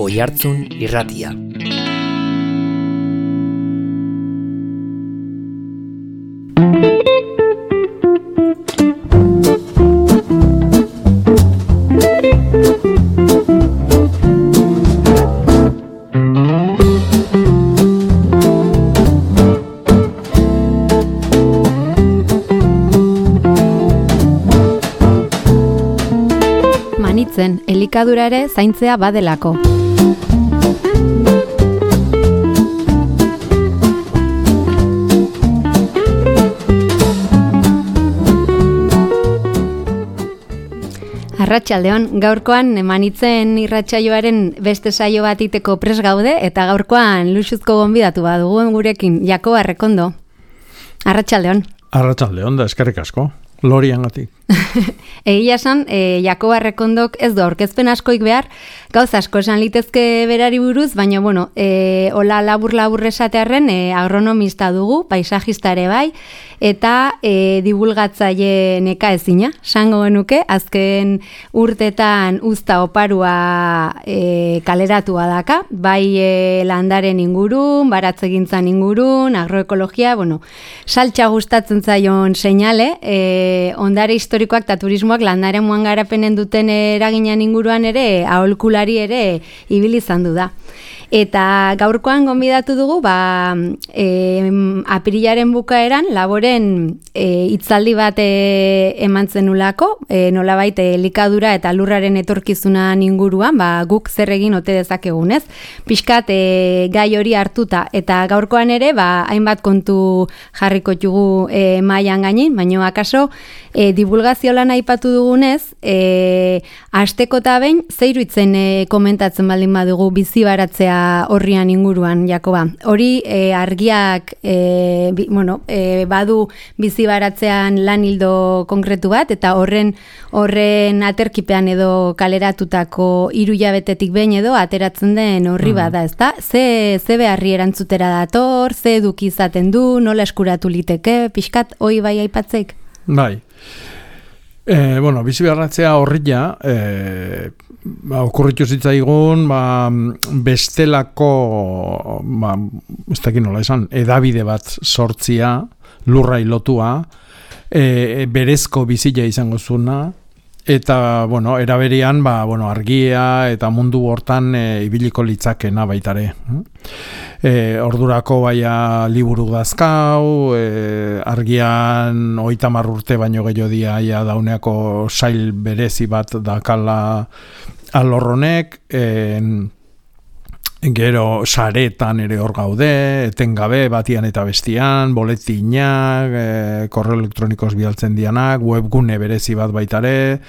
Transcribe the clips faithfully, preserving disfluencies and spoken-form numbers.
Oihartzun Irratia. Manitzen, elikadura ere zaintzea badelako. Arratsaldeon, gaurkoan Manitzen irratsaioaren beste saio bat iteko pres gaude eta gaurkoan luxuzko gonbidatu badugu gurekin Jakoba Errekondo. Arratsaldeon. Arratsaldeon da eskerrik asko. Loriangatik. Egia esan, e, Jakoba Errekondok ez du aurkezpen askoik behar, gauz asko esan litezke berari buruz, baina, bueno, e, hola labur-labur esatearren e, agronomista dugu, paisajista ere bai, eta e, divulgatzaile neka ezina, sango genuke, azken urtetan uzta oparua e, kaleratua daka, bai e, landaren ingurun, baratzegintzan ingurun, agroekologia, bueno, saltxa gustatzen zaion seinale, e, ondare historikoak eta turismoak landaren muan garapenen duten eraginan inguruan ere, aholkulari ere ibili izan du da. Eta gaurkoan gonbidatu dugu, ba, e, apirilaren bukaeran, laboren e, hitzaldi bat e, eman zenulako, e, nolabait elikadura eta lurraren etorkizunan inguruan, ba, guk zer egin ote dezakegunez. Pixkat e, gai hori hartuta, eta gaurkoan ere, ba, hainbat kontu jarriko txugu e, mailan gainin, baina akaso, e, divulgazio lan aipatu dugunez, e, asteko eta behin, zeiruitzen e, komentatzen baldin badugu bizi baratzea horrian inguruan, Jakoba. Hori e, argiak e, bi, bueno, e, badu bizi baratzean lan hildo konkretu bat, eta horren horren aterkipean edo kaleratutako hiru hilabetetik behin edo ateratzen den horri mm. bada, ezta? Ze, ze beharri erantzutera dator, ze eduki izaten du, nola eskuratu liteke, pixkat, hoi bai aipatzeik? Bai. E, bueno, bizi baratzea horria, e, ba, okurritu zitzaigun, ba, bestelako, ba, ez dakit nola esan, edabide bat sortzia, lurra lotua, e, berezko bizila izango zuna, eta, bueno, eraberian, ba, bueno, argia eta mundu hortan e, ibiliko litzakena baitare. E, ordurako baia liburu dazkau, e, argian hogeita hamar urte baino gehiago dia ja dauneako sail berezi bat dakala alorronek, e, gero saretan ere hor gaude, etengabe batian eta bestian, boletinak, e, korreo elektronikoz bialtzen dianak, webgune berezi bat baitare.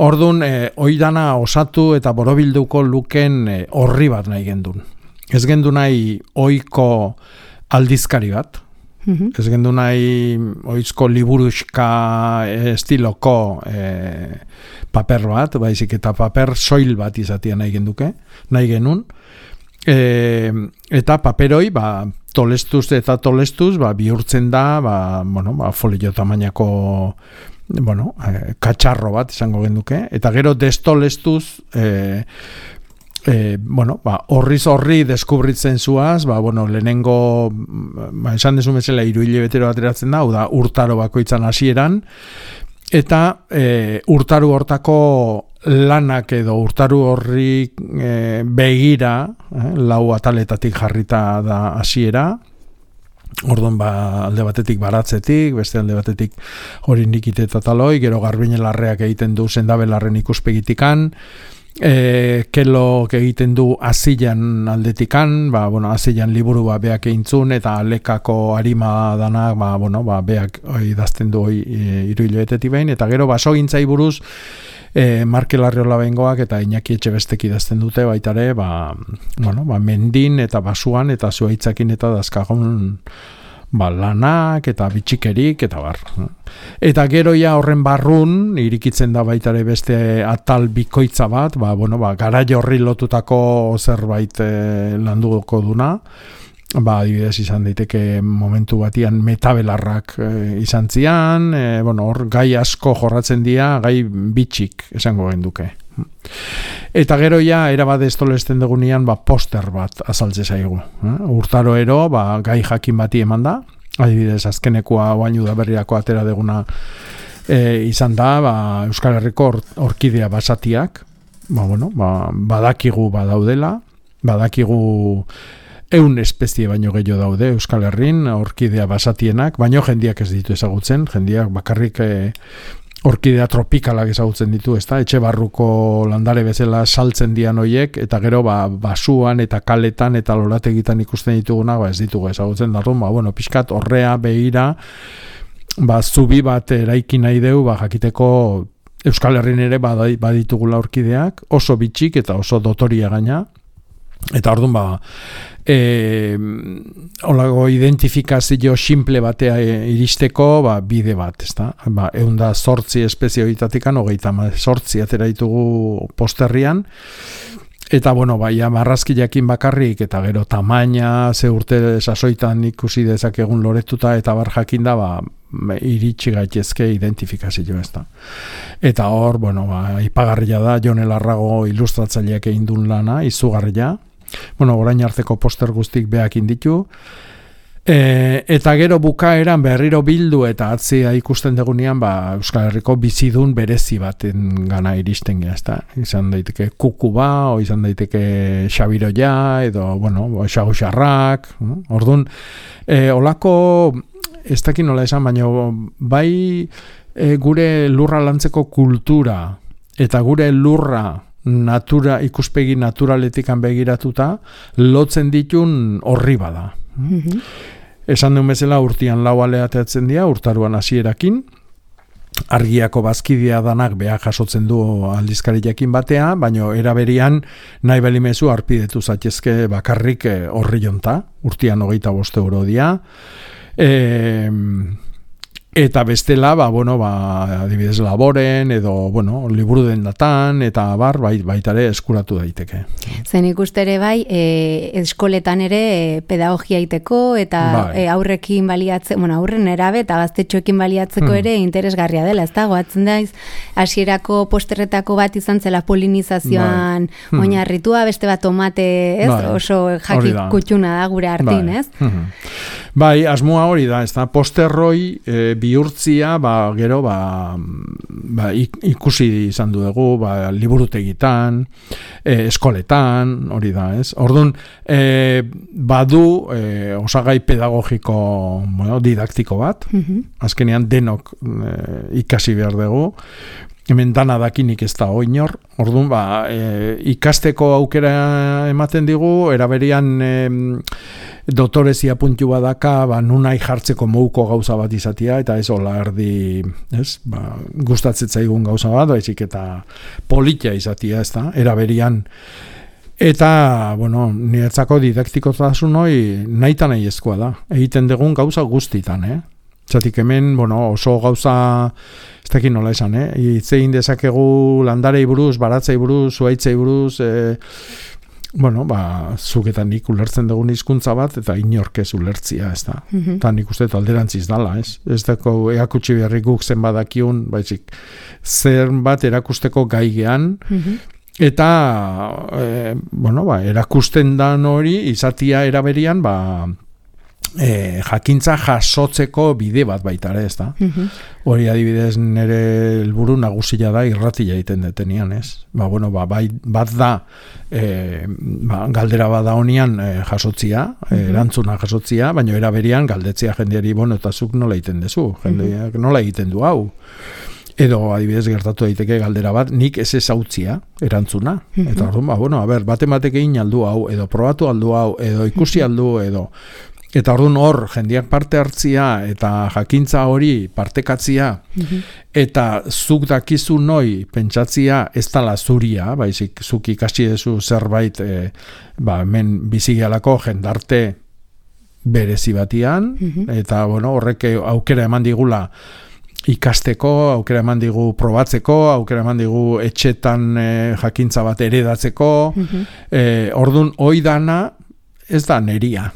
Ordun, e, oidana osatu eta borobilduko luken e, horri bat nahi gendun. Ez gendu nahi oiko aldizkari bat, mm-hmm. ez gendu nahi oizko liburuska estiloko e, paper bat, baizik eta paper soil bat izatea nahi genduke, nahi genun. E, eta paperoi, ba, tolestuz eta tolestuz, ba, bihurtzen da, ba, bueno, ba, folio tamainako, bueno, e, katxarro bat izango genduke, eta gero destolestuz, e, E, bueno, ba, horriz horri deskubritzen zuaz, ba, bueno, lehenengo, ba, esan desu bezala hiru hilabetero ateratzen da, hau da, urtaro bakoitzan hasieran, eta e, urtaru hortako lanak edo urtaru horri e, begira, eh, lau ataletatik jarrita da hasiera, orduan ba, alde batetik baratzetik, beste alde batetik hori nikite eta taloi, gero garbinelarreak egiten du sendabelarren ikuspegitikan, E, kelo egiten du azilan aldetikan, ba, bueno, azilan liburu ba, beak eintzun eta alekako harima danak, ba, bueno, ba, beak idazten du hoi e, hiru hilabetetik behin, eta gero basogintzai buruz e, Marke Larriola bengoak eta Iñaki Etxebestek idazten dute baitare, ba, bueno, ba, mendin eta basuan eta zuaitzakin eta dazkagun ba, lanak eta bitxikerik eta bar. Eta gero ja horren barrun irikitzen da baitare beste atal bikoitza bat, ba, bueno, ba, garai horri lotutako zerbait e, landuko duna, ba, adibidez izan daiteke momentu batian metabelarrak e, izan zian, e, bueno, hor gai asko jorratzen dira, gai bitxik esango genduke. Eta gero ja, erabat estolesten dugunean, ba, poster bat azaltze zaigu. Eh? Urtaro ero, ba, gai jakin bati eman da, adibidez, azkenekoa oain udaberriako atera deguna e, izan da, ba, Euskal Herriko or, orkidea basatiak, ba, bueno, ba, badakigu badaudela, badakigu eun espezie baino gehiago daude Euskal Herrin, orkidea basatienak, baino jendiak ez ditu ezagutzen, jendiak bakarrik e, orkidea tropikalak ezagutzen ditu, ezta? Etxe barruko landare bezala saltzen dian hoiek, eta gero ba, basuan eta kaletan eta lorategitan ikusten ditugunak, ba, ez ditugu ezagutzen darun, ba, bueno, pixkat horrea behira, ba, zubi bat eraiki nahi deu, ba, jakiteko Euskal Herrin ere baditugula orkideak, oso bitxik eta oso dotoria gaina, eta orduan ba, e, olago identifikazio simple batea iristeko ba, bide bat, ezta? Ba, eunda zortzi espezie horitatikan, hogeita zortzi atera ditugu posterrian, eta bueno, baia marrazki jakin bakarrik, eta gero tamaina, ze urte sasoitan ikusi dezakegun loretuta, eta bar jakinda, ba, iritsi gaitezke identifikazio ez da. Eta hor, bueno, ba, ipagarria da, Jon Larrago ilustratzaileak egin duen lana, izugarria. Bueno, orain arteko poster guztik beak inditu. E, eta gero bukaeran berriro bildu eta atzia ikusten degunean, ba, Euskal Herriko bizidun berezi baten gana iristen gara, ezta? Izan daiteke kukuba, o izan daiteke xabiroia, edo, bueno, xaguxarrak. Orduan, e, olako ez dakit nola esan, baina bai e, gure lurra lantzeko kultura eta gure lurra natura, ikuspegi naturaletikan begiratuta lotzen ditun horri bada. Mm-hmm. Esan duen bezala urtian lau aleateatzen dira, urtaruan hasierakin, argiako bazkidea danak beha jasotzen du aldizkari jakin batea, baina eraberian nahi belimezu arpidetu zatezke bakarrik horri jonta, urtian hogeita bost euro dia, E, eta bestela ba, bueno, ba, adibidez laboren edo bueno, liburu dendatan eta bar bai, baitare eskuratu daiteke. Zen ikustere bai e, eskoletan ere e, pedagogia iteko eta bai. e, aurrekin baliatzeko, bueno, aurren erabe eta gaztetxoekin baliatzeko hmm. ere interesgarria dela, ez da, goatzen daiz hasierako posterretako bat izan zela polinizazioan bai. hmm. oinarritua, beste bat tomate, ez? Bai. Oso jakik kutxuna da gure artin, bai. ez? Hmm. Bai, asmoa hori da, ez da, posterroi e, bihurtzia, ba, gero, ba, ba, ikusi izan dugu, ba, liburutegitan, e, eskoletan, hori da, ez? Orduan, e, badu e, osagai pedagogiko, bueno, didaktiko bat, mm-hmm. azkenean denok e, ikasi behar dugu, hemen dana dakinik ez da oinor, orduan, ba, e, ikasteko aukera ematen digu, eraberian e, dotorezia puntu badaka, ba, nunai jartzeko mouko gauza bat izatia, eta ez hola erdi, ez, ba, gustatzetzaigun gauza bat, baizik eta politia izatia, ez da, eraberian. Eta, bueno, niretzako didaktikotasun hori nahi nahi ezkoa da, egiten dugun gauza guztitan, eh? Zatik hemen, bueno, oso gauza, ez dakit nola esan, eh? Itzein dezakegu landarei buruz, baratzei buruz, zuaitzei buruz, eh, bueno, ba, zuketan nik ulertzen dugun hizkuntza bat, eta inorkez ulertzia, ez da. Mm-hmm. Eta nik uste alderantziz dala, ez? Ez dako eakutsi beharrik guk zen badakiun, baizik, zer bat erakusteko gaigean, mm-hmm. eta, e, bueno, ba, erakusten dan hori, izatia eraberian, ba, E, jakintza jasotzeko bide bat baita ere, ez da? Mm-hmm. Hori adibidez nire helburu nagusia da irratia egiten detenian, ez? Ba, bueno, ba, bai, bat da e, ba, galdera bada honian e, jasotzia, mm-hmm. erantzuna jasotzia, baina eraberian galdetzea jendeari, bueno, eta zuk nola egiten dezu, jendeak mm-hmm. nola egiten du hau. Edo adibidez gertatu daiteke galdera bat, nik ez ezautzia erantzuna. Mm-hmm. Eta orduan, ba, bueno, a ber, bate-batek egin aldu hau, edo probatu aldu hau, edo ikusi aldu, edo eta orduan hor jendeak parte hartzia eta jakintza hori partekatzia mm-hmm. eta zuk dakizu noi pentsatzia ez dala zuria, baizik zuk ikasi dezu zerbait e, ba, hemen bizigialako jendarte berezi batian mm-hmm. eta bueno, horrek aukera eman digula ikasteko, aukera eman digu probatzeko, aukera eman digu etxetan e, jakintza bat eredatzeko mm-hmm. e, orduan hoi dana ez da neria.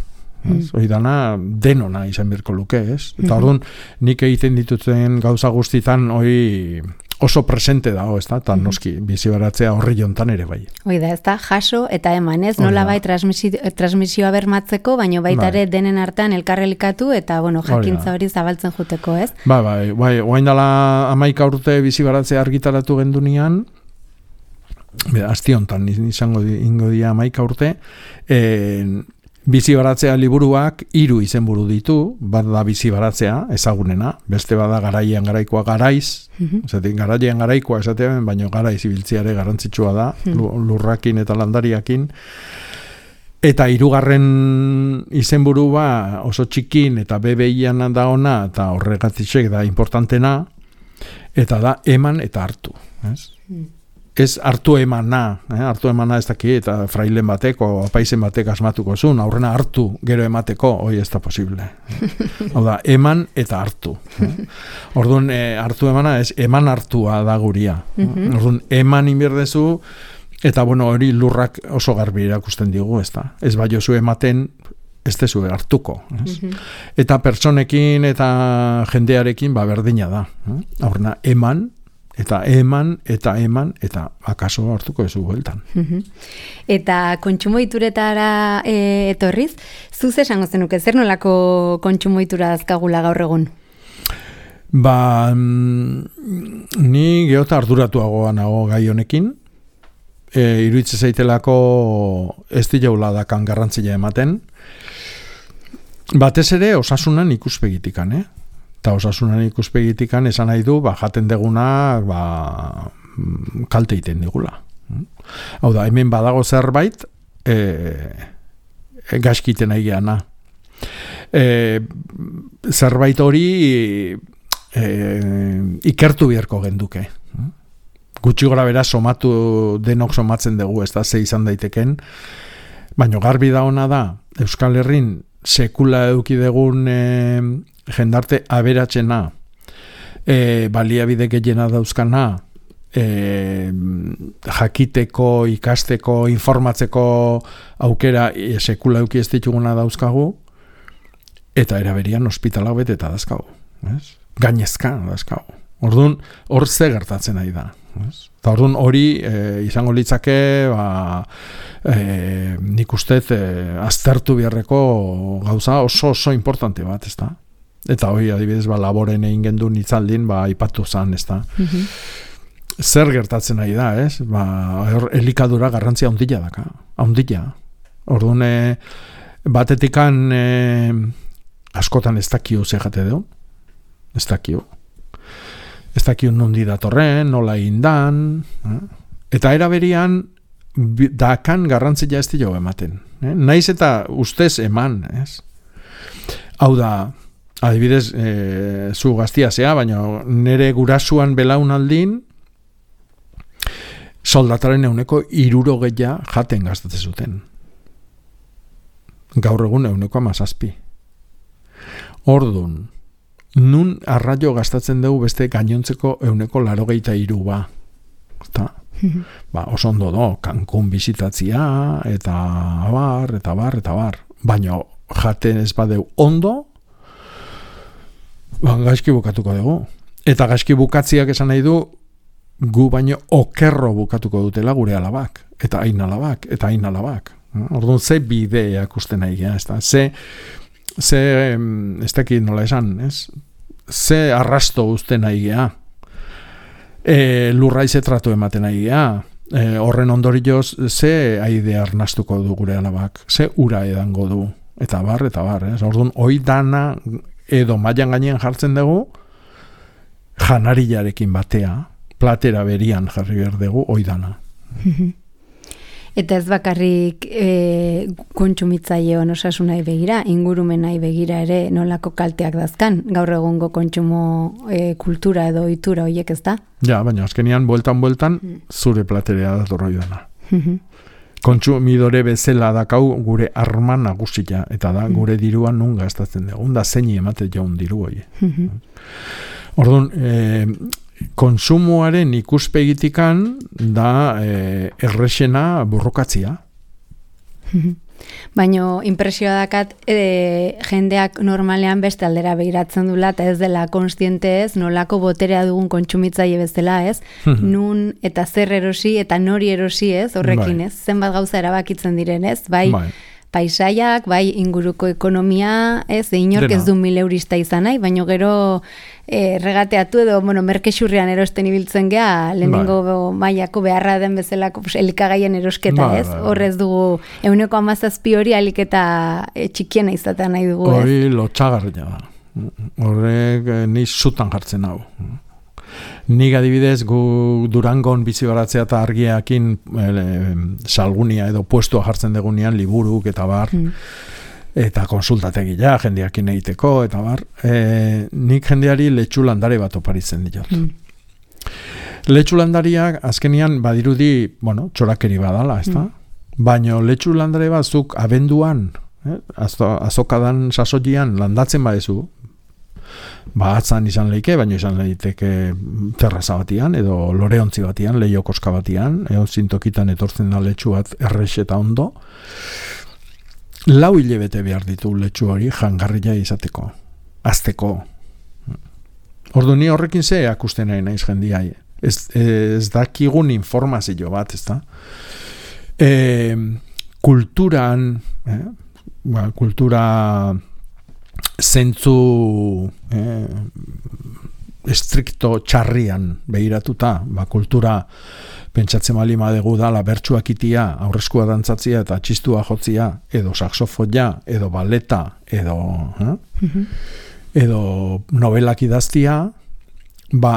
Hori dana denona izan birko luke, ez? Eta orduan, nik egiten dituten gauza guztitan hori oso presente dago, ez da, eta noski, bizi baratzea horri jontan ere bai. Hoi da, ez da, jaso eta eman, ez, nola bai transmisio, transmisioa bermatzeko, baina baita ere denen artean elkarrelikatu eta, bueno, jakintza hori zabaltzen juteko, ez? Bai, bai, bai, oain dala hamaika urte bizi baratzea argitaratu gendunean, asti hontan, izango di, ingo dia hamaika urte, eh, bizi baratzea liburuak hiru izenburu ditu, bat da bizi baratzea, ezagunena, beste bada garaian garaikoa garaiz, mm-hmm. Esaten, garaian garaikoa esatean, baina garaiz ibiltziare garrantzitsua da, mm-hmm. lurrakin eta landariakin, eta hirugarren izenburu ba oso txikin eta bebeian da ona, eta horregatik da importantena, eta da eman eta hartu, ez? Mm. Ez hartu emana, eh? hartu emana ez daki, eta frailen batek, o apaizen batek asmatuko zuen, aurrena hartu gero emateko, hoi ez da posible. Hau da, eman eta hartu. Eh? Orduan, eh, hartu emana, ez eman hartua da guria. Mm-hmm. Orduan, eman inbierdezu, eta bueno, hori lurrak oso garbi erakusten digu, ez da. Ez bai oso ematen, ez dezu hartuko. Ez? Mm-hmm. Eta personekin eta jendearekin, ba, berdina da. Eh? Aurrena, eman, eta eman, eta eman, eta akaso hartuko ezu bueltan. Eta kontsumo ituretara e, etorriz, zuz esango zenuke, zer nolako kontsumo itura azkagula gaur egun? Ba, ni geota arduratuagoa nago gai honekin, e, iruitze zaitelako ez diaula dakan garrantzia ematen, batez ere osasunan ikuspegitikan, eh? Eta osasunan ikuspegitikan esan nahi du, ba, jaten degunak ba, kalte iten digula. Hau da, hemen badago zerbait, e, e, gaskiten nahi geana. E, zerbait hori e, ikertu biherko genduke. Gutxi gora bera somatu, denok somatzen dugu, ez da, ze izan daiteken, baina garbi da ona da, Euskal Herrin sekula eduki degun e, jendarte aberatxena, e, baliabide gehiena dauzkana, e, jakiteko, ikasteko, informatzeko aukera e, sekula eduki ez dituguna dauzkagu, eta eraberian ospitalak bete eta dauzkagu. Gainezka dauzkagu. Orduan, hor ze gertatzen nahi da. Eta orduan hori e, izango litzake, ba, e, nik ustez e, aztertu biharreko gauza oso oso importante bat, ez da? Eta hori adibidez, ba, laboren egin gendu nitzaldin, ba, ipatu zan, ez da? Mm-hmm. Zer gertatzen nahi da, ez? Ba, elikadura garrantzia ondila daka, ondila. Orduan, e, batetikan e, askotan ez dakio ze jate deu, ez dakio. Ez dakio nondi datorren, nola indan, eh? Eta eraberian dakan garrantzia ez dio ematen. Eh? Naiz eta ustez eman, ez? Hau da, adibidez, e, zu gaztia zea, baina nire gurasuan belaunaldin soldataren euneko hirurogeia jaten gastatzen zuten. Gaur egun euneko hamazazpi. Ordun, nun arraio gastatzen dugu beste gainontzeko euneko laurogeita hiru ba. Eta, ba, oso ondo do, Cancun bizitatzia, eta bar, eta bar, eta bar. Baina jaten ez badeu ondo, ba, gaizki bukatuko dugu. Eta gaizki bukatziak esan nahi du, gu baino okerro bukatuko dutela gure alabak, eta hain alabak, eta hain alabak. Orduan, ze bideak uste nahi gea, ez da? Ze, ze, ez dakit nola esan, ez? Ze arrasto uste nahi gea. E, lurraize tratu ematen nahi gea. E, horren ondorioz, ze aide arnastuko du gure alabak, ze ura edango du, eta bar, eta bar, ez? Orduan, hoi dana edo mailan gainean jartzen dugu, janariarekin batea, platera berian jarri behar dugu, hoi dana. Eta ez bakarrik e, kontsumitzaileon osasunai begira, ingurumenai begira ere nolako kalteak dazkan, gaur egungo kontsumo e, kultura edo ohitura horiek, ez da? Ja, baina azkenian, bueltan-bueltan, zure platerea dator hoi dana. Kontsumidore bezala dakau gure arma nagusia, eta da gure diruan nun gastatzen dugu, da zeini emate jaun diru hoi. Orduan, e, konsumoaren ikuspegitikan da e, errexena borrokatzia. Baina impresioa dakat e, jendeak normalean beste aldera begiratzen dula eta ez dela konstiente ez, nolako boterea dugun kontsumitzaile bezala ez, nun eta zer erosi eta nori erosi ez, horrekin ez, zenbat gauza erabakitzen diren ez, bai, bai. Paisaiak, bai inguruko ekonomia, ez, inork ez du mil eurista izan nahi, baina gero e, regateatu edo, bueno, merkexurrian erosten ibiltzen gea, lehenengo bai. Mailako beharra den bezalako pues, elikagaien erosketa, bai, ez? Bai, bai. Horrez dugu, euneko amazazpi hori aliketa e, txikiena izatea nahi dugu, ez? Hori lotxagarria da. Horrek ni zutan jartzen hau. Nik adibidez gu Durangon bizi baratzea eta argiakin e, salgunia edo puestua jartzen degunean liburuk eta bar mm. eta konsultategia jendeakin egiteko eta bar e, nik jendeari letxu landare bat oparitzen diot. Mm. Letxu landariak azkenian badirudi, bueno, txorakeri badala, ezta? Mm. Baina letxu landare bat zuk abenduan, eh, azokadan sasoian landatzen badezu, ba atzan izan leike, baina izan leiteke terraza batian, edo loreontzi batian, leio koska batian, edo zintokitan etortzen da letxu bat errex eta ondo. Lau hilebete behar ditu letxu hori jangarria izateko, azteko. Ordu ni horrekin ze akusten nahi naiz jendiai. Ez, ez dakigun informazio bat, ez da? E, kulturan, eh? ba, kultura zentzu eh, estrikto txarrian behiratuta, ba, kultura pentsatzen bali madegu dala bertsuak itia, aurreskua dantzatzia eta txistua jotzia, edo saxofoia, edo baleta, edo eh? mm-hmm. edo novelak idaztia, ba,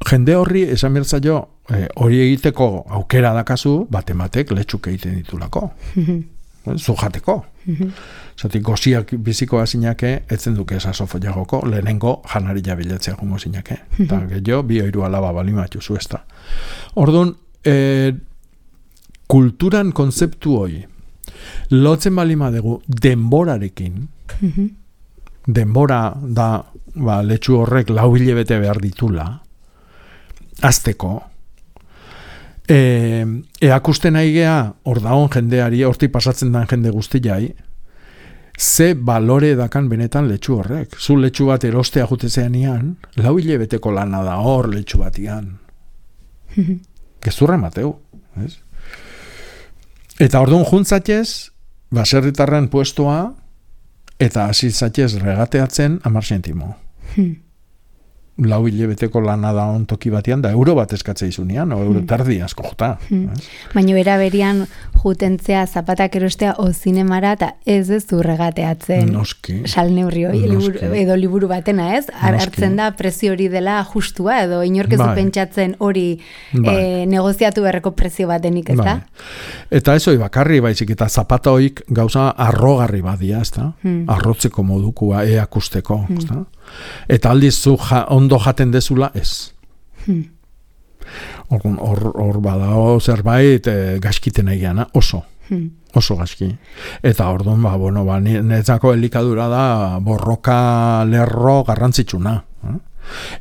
jende horri esan bertzaio eh, hori egiteko aukera dakazu, batematek letxuk egiten ditulako. Mm-hmm. Zu jateko. Mm-hmm. Zatik, goziak biziko azinake, etzen duke saxofoia joko, lehenengo janari jabiletzea jungo zinake. Mm-hmm. Eta gehiago, bi oiru alaba balimatxu zu ez da. Orduan, eh, kulturan konzeptu hoi, lotzen balima dugu denborarekin, mm-hmm. denbora da, ba, letxu horrek lau hilebete behar ditula, azteko, E, eakusten aigea, hor daun jendeari, horti pasatzen dan jende guztiai, ze balore dakan benetan letxu horrek. Zu letxu bat erostea jutezean ian, lau hilebeteko lana da hor letxu bat ian. Gezurra mateu. Ez? Eta orduan juntzatez, baserritarren puestoa, eta hasi zatez regateatzen amar sentimo. Lau hilebeteko lana da on toki batean, da euro bat eskatzea izunean, o euro tardi asko jota. Hmm. Baina era berian jutentzea zapatak erostea o zinemara, eta ez ez du regateatzen salneurri hori, liburu, edo liburu batena ez, hartzen da prezio hori dela justua, edo inorkezu bai. Pentsatzen hori bai. e, negoziatu berreko prezio batenik ez da? Bai. Eta ez hori bakarri baizik, eta zapata hoik gauza arrogarri badia, ez da? Hmm. Arrotzeko modukua, eakusteko, hmm. ez da? Eta aldiz zu ja, ondo jaten dezula ez. Hmm. Hor, hor badao zerbait e, gaskiten egiana, oso. Hmm. Oso gaski. Eta orduan, ba, bueno, ba, netzako elikadura da borroka lerro garrantzitsuna. Eh?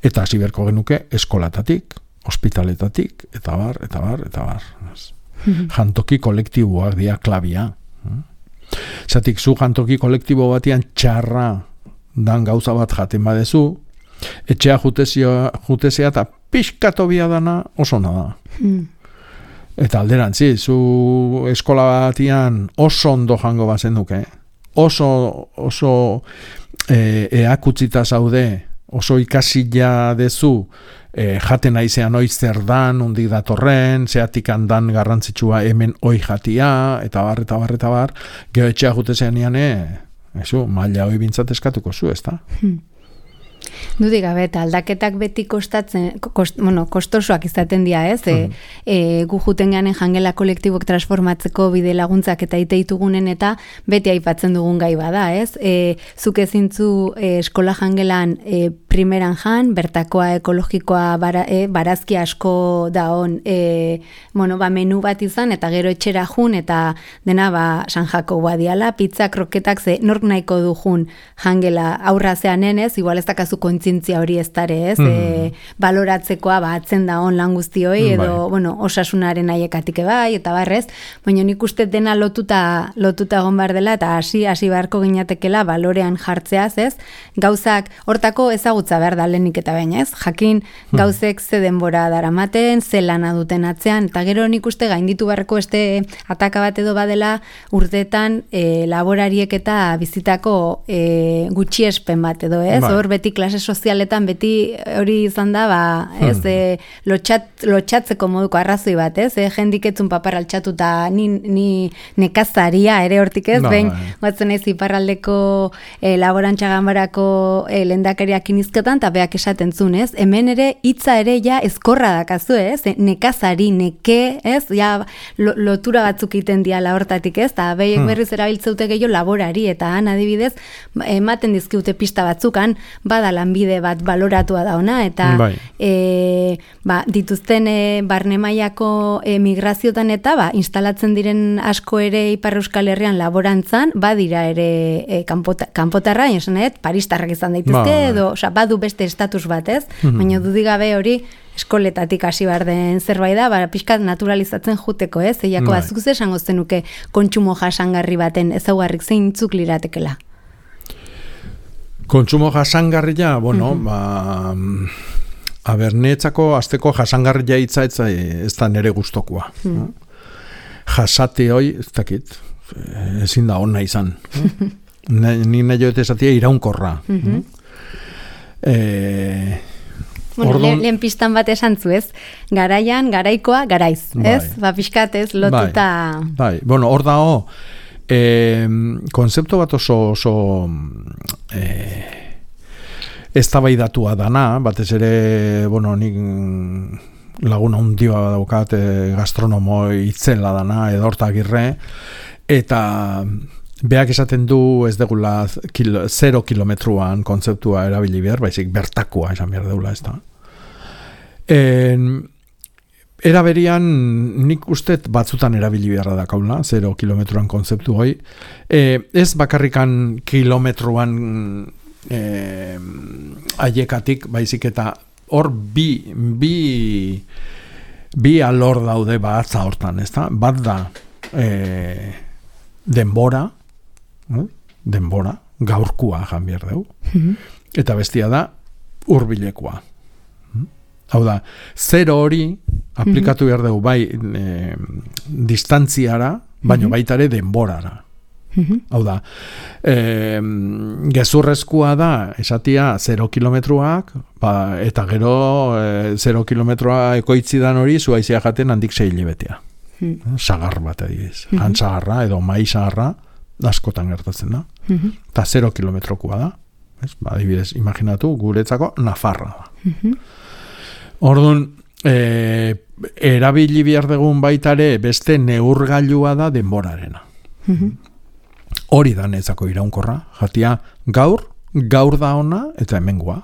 Eta hasi berko genuke eskolatatik, ospitaletatik, eta bar, eta bar, eta bar. Hmm. Jantoki kolektiboak dia klabia. Eh? Zatik zu jantoki kolektibo batian txarra dan gauza bat jaten badezu, etxea jutezea eta pixkatobia dana oso nada. Hmm. Eta alderantzi, zu eskola batian oso ondo jango bazen duke, oso, oso e, eakutzita zaude, oso ikasila dezu, e, jaten aizean oi zer dan, undik datorren, zeatik handan garrantzitsua hemen oi jatia, eta bar, eta bar, eta bar, geho etxea jutezean iane, Eso, maila hoi bintzat eskatuko zu, ez da? Hmm. Dudik gabe, eta aldaketak beti kostatzen, kost, bueno, kostosoak izaten dira, ez? Hmm. E, e, gu juten ganen jangela kolektibok transformatzeko bide laguntzak eta iteitugunen eta beti aipatzen dugun gai bada, ez? E, zuk ezintzu e, eskola jangelan e, primeran jan, bertakoa ekologikoa bara, e, barazki asko da on, e, bueno, ba, menu bat izan, eta gero etxera jun, eta dena, ba, San Jako badiala, pizza, kroketak, ze nork nahiko du jun jangela aurra zeanen ez, igual ez dakazu kontzientzia hori ez dare, ez? Mm. E, baloratzekoa batzen da on lan guztioi, edo, bai. bueno, osasunaren aiekatik bai, eta barrez, baina nik uste dena lotuta, lotuta egon behar dela, eta hasi hasi beharko ginatekela balorean jartzeaz, ez? Gauzak, hortako ezagutza behar da lehenik eta baina, ez? Jakin gauzek ze denbora daramaten, ze lana duten atzean, eta gero nik uste gainditu beharko este ataka bat edo badela urteetan e, laborariek eta bizitako e, gutxiespen bat edo, ez? Ba. Hor beti klase sozialetan beti hori izan da, ba, ez, hmm. e, lotxat, lotxatzeko moduko arrazoi bat, ez? E, jendiketzun papar altxatuta ni, ni nekazaria ere hortik ez, ba, behin, batzen ez iparraldeko e, laborantxaganbarako e, lendakariak inizketan, eta beak esaten zuen, ez? Hemen ere hitza ere ja ezkorra dakazu, ez? E, nekazari, neke, ez? Ja, lo, lotura batzuk iten diala hortatik, ez? Eta behiek berriz erabiltzeute gehiago laborari, eta han adibidez, ematen dizkiute pista batzukan, bada lanbide bat baloratua da ona, eta bai. e, ba, dituzten e, barne mailako e, migraziotan eta ba, instalatzen diren asko ere Ipar Euskal Herrian laborantzan, badira ere e, kanpota, kanpotarra, esanet, paristarrak izan daitezke, ba, edo, oza, badu beste estatus bat, ez? Mm-hmm. Baina dudigabe hori eskoletatik hasi behar den zerbait da, ba, pixkat naturalizatzen juteko, ez? Eiako, bai. Azuk esango zenuke kontsumo jasangarri baten ezaugarrik zeintzuk liratekela? Kontsumo jasangarria, bueno, mm-hmm. ba, a ber, neetzako azteko jasangarria hitza ez, ez da nere gustokoa. Mm. Jasate hoi, ez dakit, ezin da ona izan. Ni nahi joete esatia iraunkorra. Mm-hmm. E, bueno, ordon... lehen, lehen pistan bat esan zu, ez? Garaian, garaikoa, garaiz, bai. Ez? Ba, pixkat ez, lotuta... Bai, bai. Bueno, hor dago, e, konzeptu bat oso... oso e, eztabaidatua dana, batez ere, bueno, nik laguna hundia daukat e, gastronomo itzela dana, edorta agirre, eta beak esaten du ez degula kilo, zero kilometruan kontzeptua erabili behar, baizik bertakoa esan behar deula ez da. En, era berian nik ustet batzutan erabili beharra da kaula, zero kilometruan kontzeptu hoi. E, ez bakarrikan kilometruan e, aiekatik, baizik eta hor bi, bi, bi alor daude batza hortan, ez da? Bat da e, denbora, eh? denbora, gaurkua jan behar dugu, mm-hmm. eta bestia da hurbilekoa. Hau da, zero hori aplikatu behar dugu bai e, distantziara, baino mm-hmm. baita ere denborara. Mm-hmm. Hau da, e, gezurrezkoa da esatia zero kilometruak, ba, eta gero e, zero kilometroa ekoitzidan hori zuaizia jaten handik sei hilebetea. Mm-hmm. Sagar bat adibiz. Mm-hmm. Antzagarra edo mai sagarra askotan gertatzen da. Mm-hmm. Eta zero kilometrokoa da. Ez? Ba, adibidez, imaginatu, guretzako Nafarra da. Mm-hmm. Orduan, e, erabili behar dugun baitare beste neurgailua da denborarena. Mm-hmm. Hori da netzako iraunkorra, jatia gaur, gaur da ona eta hemengoa.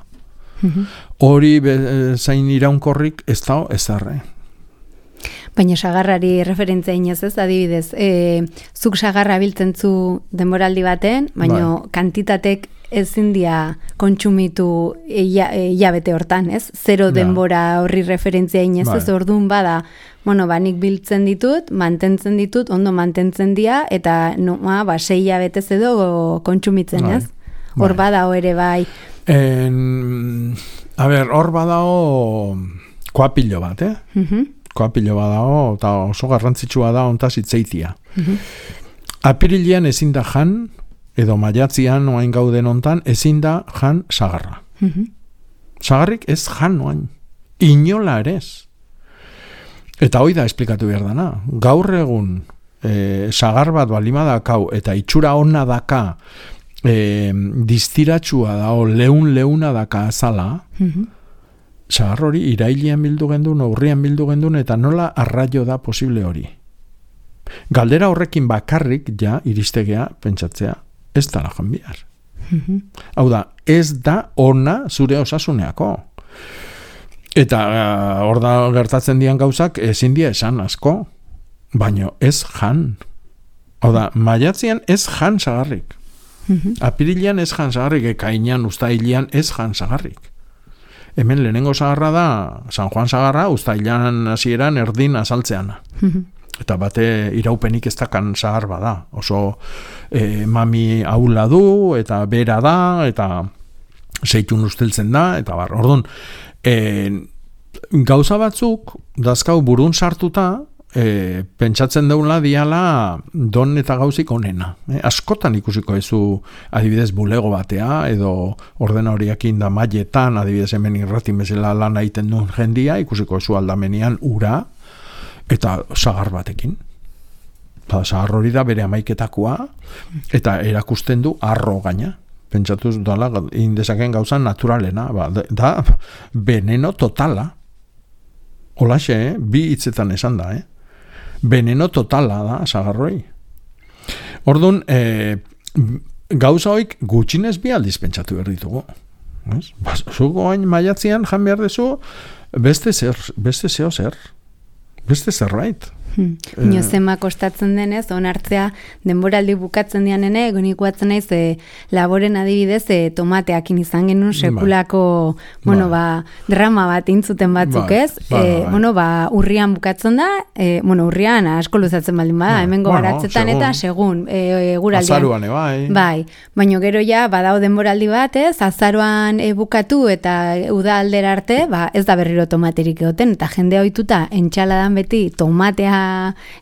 Mm-hmm. Hori be, zain iraunkorrik ez da ez darre. Baina sagarrari referentzia inez ez, adibidez, e, zuk sagarra biltzen zu denboraldi baten, baina bai. Kantitatek ezin dia kontsumitu hilabete hortan, ez? Zero ja. Denbora horri referentzia inez bai. Ez, orduan bada, bueno, ba, nik biltzen ditut, mantentzen ditut, ondo mantentzen dira, eta no, ba, sei hilabetez edo kontsumitzen, bai. Ez? Hor bai. Badao ere bai. En, a ber, hor badao koapilo bat, eh? Uh-huh. Koapilo badao, eta oso garrantzitsua da ontaz itzeitia. Uh-huh. Apirilean ezin da jan, edo maiatzian oain gauden ontan, ezin da jan sagarra. Uh-huh. Sagarrik ez jan oain. Inola ere ez. Eta hoi da esplikatu behar dana. Gaur egun e, sagar bat balima dakau eta itxura ona daka e, distiratsua dao leun-leuna daka azala, uh-huh. sagar hori irailean bildu gendun, urrian bildu gendun, eta nola arraio da posible hori. Galdera horrekin bakarrik ja iristegea pentsatzea ez da lajan bihar. Mm-hmm. Hau da, ez da ona zure osasuneako. Eta hor uh, da gertatzen dian gauzak ezin dia esan asko, baino ez jan. Hau da, maiatzean ez jan sagarrik. Apirilean ez jan sagarrik, ekainean, uztailean ez jan sagarrik. Hemen lehenengo sagarra da, San Juan sagarra, uztailean hasieran erdin azaltzean. Eta bate iraupenik ez dakan sagar bada. Oso e, mami aula du, eta bera da, eta zeitun usteltzen da, eta bar. Orduan, e, gauza batzuk, dazkau burun sartuta, E, pentsatzen deula diala don eta gauzik onena. E, askotan ikusiko ezu adibidez bulego batea, edo ordena horiakin da mailetan, adibidez hemen irratin bezala lan egiten duen jendia, ikusiko ezu aldamenean ura, eta sagar batekin. Ba, sagar hori da bere amaiketakoa, eta erakusten du arro gaina. Pentsatuz dala, indezaken gauza naturalena, ba, da veneno totala. Holaxe, eh? Bi hitzetan esan da, eh? Veneno totala da, sagarroi. Orduan, e, gauza hoik gutxinez bi aldiz pentsatu behar ditugu. Zuko hain maiatzean jan behar dezu, beste zer, beste zeo zer, beste zerbait. Hmm. Nio zema kostatzen denez, onartzea denboraldi bukatzen dianene, gonik guatzen naiz e, laboren adibidez e, tomateakin izan genuen sekulako ba. bueno, ba, drama bat intzuten batzuk ba. ez, ba, e, ba. bueno, ba, urrian bukatzen da, e, bueno, urrian asko luzatzen baldin bada, ba. hemen gogaratzetan bueno, eta segun e, e, guraldian. Azaruan, bai. Bai, baina gero ja, badao denboraldi bat ez, azaruan e, bukatu eta uda aldera arte, ba, ez da berriro tomaterik egoten, eta jendea ohituta entxaladan beti tomatea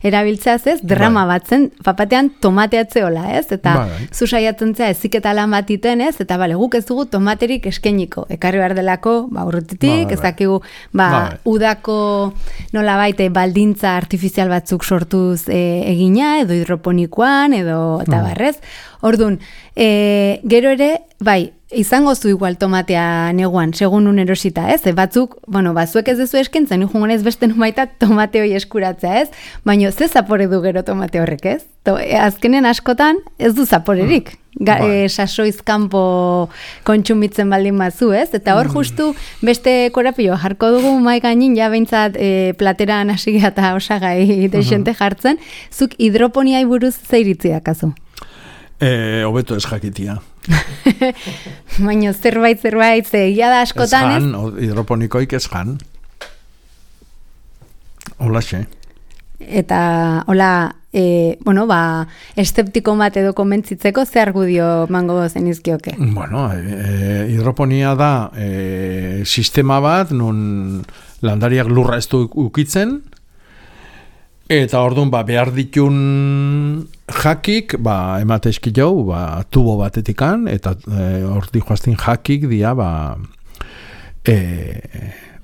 erabiltzeaz ez, drama bai. batzen, papatean tomateatzeola ez, eta bai. zu saiatzen zea eziketa lan bat iten ez, eta bale, guk ez dugu tomaterik eskeniko, ekarri behar delako, ba, urrutitik, bai. ez dakigu, ba, bai. udako nola baite baldintza artifizial batzuk sortuz e, egina, edo hidroponikoan, edo, eta bai. barrez, orduan, e, gero ere, bai, izango zu igual tomatea neguan, segun un erosita, ez? E, batzuk, bueno, bazuek ez dezu eskentzen, nujungon ez beste numaita tomate hoi eskuratzea, ez? Baina ze zapore du gero tomate horrek, ez? To, e, azkenen askotan ez du zaporerik. Ga, e, sasoizkampo kontsumitzen baldin bazu, ez? Eta hor justu beste korapio jarko dugu mai gainin, ja behintzat e, plateran hasiga eta osagai deixente jartzen, zuk hidroponiai buruz zeiritzi dakazu? Eh, hobeto ez jakitia. Baina zerbait, zerbait, egia da askotan, ez? Ez jan, hidroponikoik ez jan. Hola, xe. Eta, hola, e, bueno, ba, esteptiko bat edo konbentzitzeko ze argudio mango zenizkioke? Bueno, e, hidroponia da e, sistema bat, nun landariak lurra ez du ukitzen, eta orduan ba, behar ditun jakik, ba, emate eski jau, ba, tubo batetikan, eta hor e, dihoaztin jakik dia, ba, e,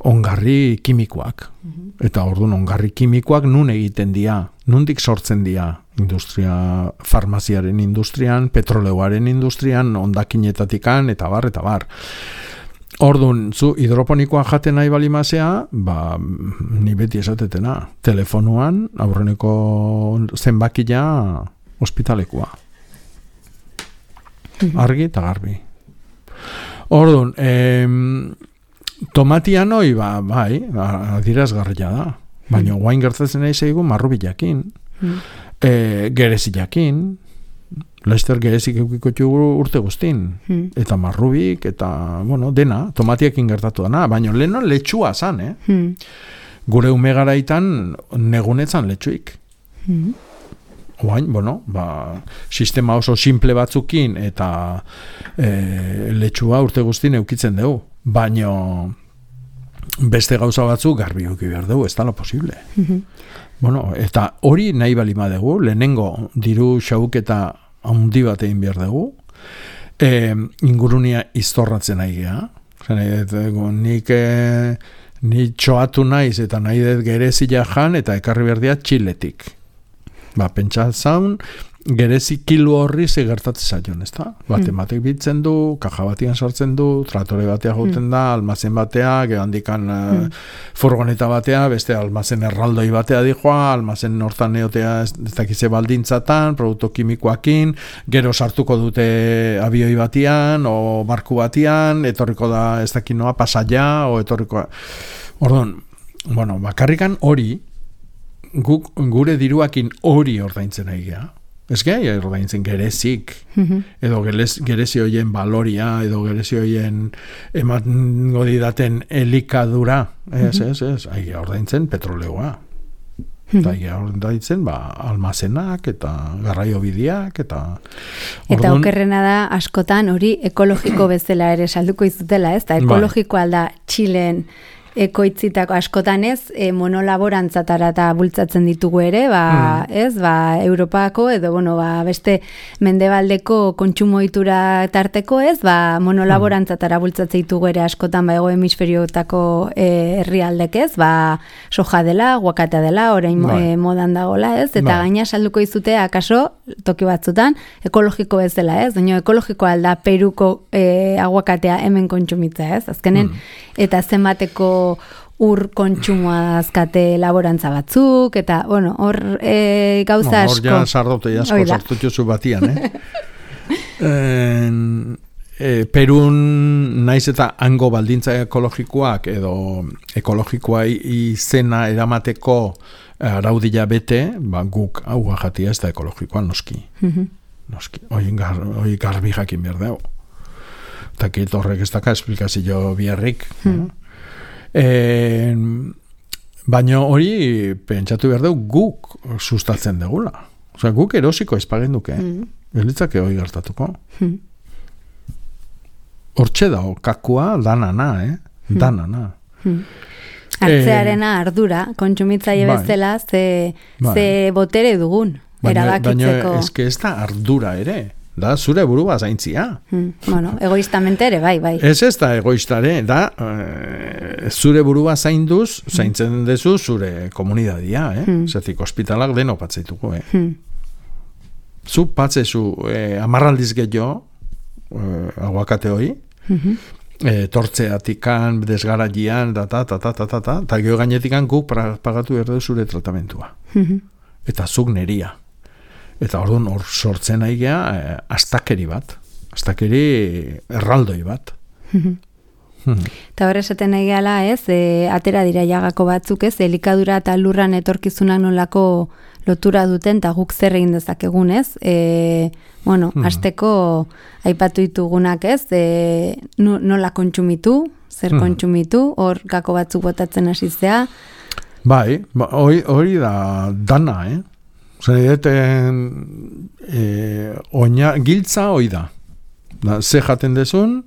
ongarri kimikoak. Mm-hmm. Eta orduan ongarri kimikoak nun egiten dia, nundik sortzen dia, industria, farmaziaren industrian, petroleuaren industrian, ondakinetatikan, eta bar, eta bar. Orduan, zu hidroponikoa jaten nahi balimazea, ba, ni beti esatetena, telefonuan, aurreneko zenbakia ospitalekoa. Argi eta garbi. Orduan, em, tomatian hoi, ba, bai, adirazgarria da. Baina guain gertatzen nahi zeigu marrubilakin, e, gerezilakin, Laster gerezik eukiko txugu urte guztin. Hmm. Eta marrubik, eta, bueno, dena, tomatiekin gertatu dana. Baina leheno letxua zan, eh? Hmm. Gure ume garaitan negunetzan letxuik. Hmm. Oain, bueno, ba, sistema oso simple batzukin eta e, letxua urte guztin eukitzen dugu. Baina beste gauza batzu garbi euki behar dugu, ez da lo posible. Hmm. Bueno, eta hori nahi balima dugu, lehenengo diru xauketa handi bat egin behar dugu, e, ingurunia iztorratzen nahi geha. Nik, e, nik txoatu naiz eta nahi dut gerezila jan eta ekarri behar dira Txiletik. Ba, pentsatzen, gerezi kilo horri zegertatzen zaion, ez da? Bate batek bitzen du, kaja batian sartzen du, tratore batea joten da, almazen batea, gero handikan mm. uh, furgoneta batea, beste almazen erraldoi batea dijoa, almazen hortan neotea ez, ez dakize baldintzatan, produktu kimikoakin, gero sartuko dute abioi batian, o barku batian, etorriko da ez dakinoa pasaia, o etorriko... Orduan, bueno, bakarrikan hori, guk, gure diruakin hori ordaintzen egia. Ez gai ordaintzen gerezik, edo gerezi hoien baloria, edo gerezi hoien emango didaten elikadura, ez, ez, ez, ahi ordaintzen petroleoa. Eta ahi ordaintzen, ba, almazenak, eta garraiobideak, eta... Eta okerrena da, askotan hori ekologiko bezala ere salduko izutela, ez? Eta ekologikoa da Txilen ekoitzitako askotan ez, e, monolaborantzatara eta bultzatzen ditugu ere, ba, mm. ez, ba, Europako edo, bueno, ba, beste mendebaldeko kontsumoitura tarteko ez, ba, monolaborantzatara bultzatzen ditugu ere askotan, ba, ego hemisferiotako e, herrialdek ez, ba, soja dela, guakatea dela, orain e, modan dagola ez, eta ba. Gaina salduko izute, akaso, toki batzutan, ekologiko ez dela ez, baina ekologikoa alda Peruko e, aguakatea hemen kontsumitza ez, azkenen, mm. eta zenbateko ur kontsumoa azkate laborantza batzuk, eta, bueno, hor e, gauza asko. Hor ja sardote asko sartutxozu batian, eh? en, e, Perun naiz eta hango baldintza ekologikoak, edo ekologikoa izena eramateko araudila bete, ba, guk hau jatia ez da ekologikoa noski. Mm-hmm. Noski, hoi gar, garbi jakin behar dago. Eta kit horrek ez daka esplikazio biharrik. Mm. E, baina hori pentsatu behar dugu guk sustatzen degula. Osea, guk erosiko espagenduke. Mm. Elitzake hori gertatuko. Mm. Hortxe da, kakua danana, eh? Mm. Danana. Mm. Hartzearena ardura, kontsumitzaile bai, bezala, ze, bai. ze botere dugun, baina, erabakitzeko. Baina ez da ardura ere. Da, zure burua zaintzia. Hmm, bueno, egoistamente ere, bai, bai. Ez ez da egoistare, da, e, zure burua zainduz, zaintzen dezu zure komunidadia, eh? Hmm. Zetik, ospitalak deno patzeituko, eh? Hmm. Zu patzezu e, amarraldiz gehiago, e, aguakate hori, hmm. e, tortzeatikan, desgaraian, da, ta, ta, ta, ta, ta, ta, eta geho gainetikan guk pagatu erdu zure tratamentua. Hmm. Eta zuk neria. Eta orduan hor sortzen aigea eh, astakeri bat, astakeri erraldoi bat. Eta hor esaten nahi gala ez, e, atera dira jagako batzuk ez, elikadura eta lurran etorkizunak nolako lotura duten, eta guk zer egin dezakegun ez. E, bueno, hasteko aipatu ditugunak ez, e, nola kontsumitu, zer kontsumitu, hor gako batzuk botatzen hasizea. Bai, hori ba, da dana, eh? Zer, e, oina, giltza hoi da. da. Ze jaten dezun,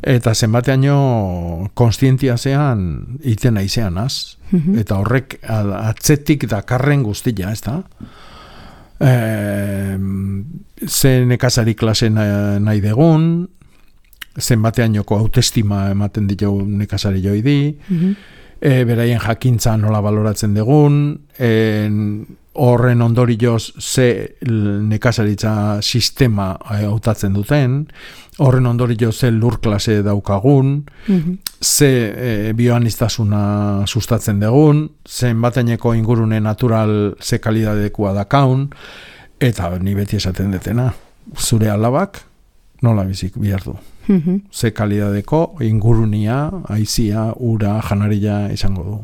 eta zenbateaino konstientia zean iten aizean az. Mm-hmm. Eta horrek atzetik dakarren guztia, ez da? E, ze nekazari klase nahi degun, zenbateainoko autoestima ematen ditu nekazari joi di, mm-hmm. e, beraien jakintza nola baloratzen degun, en, horren ondorioz ze nekazaritza sistema hautatzen duten, horren ondorioz ze lur klase daukagun, mm-hmm. ze e, bioaniztasuna sustatzen dugun, zen bateneko ingurune natural ze kalidadekua dakaun, eta ni beti esaten detena, zure alabak nola bizik behar du. Mm-hmm. Ze kalidadeko ingurunia, aizia, ura, janaria izango du.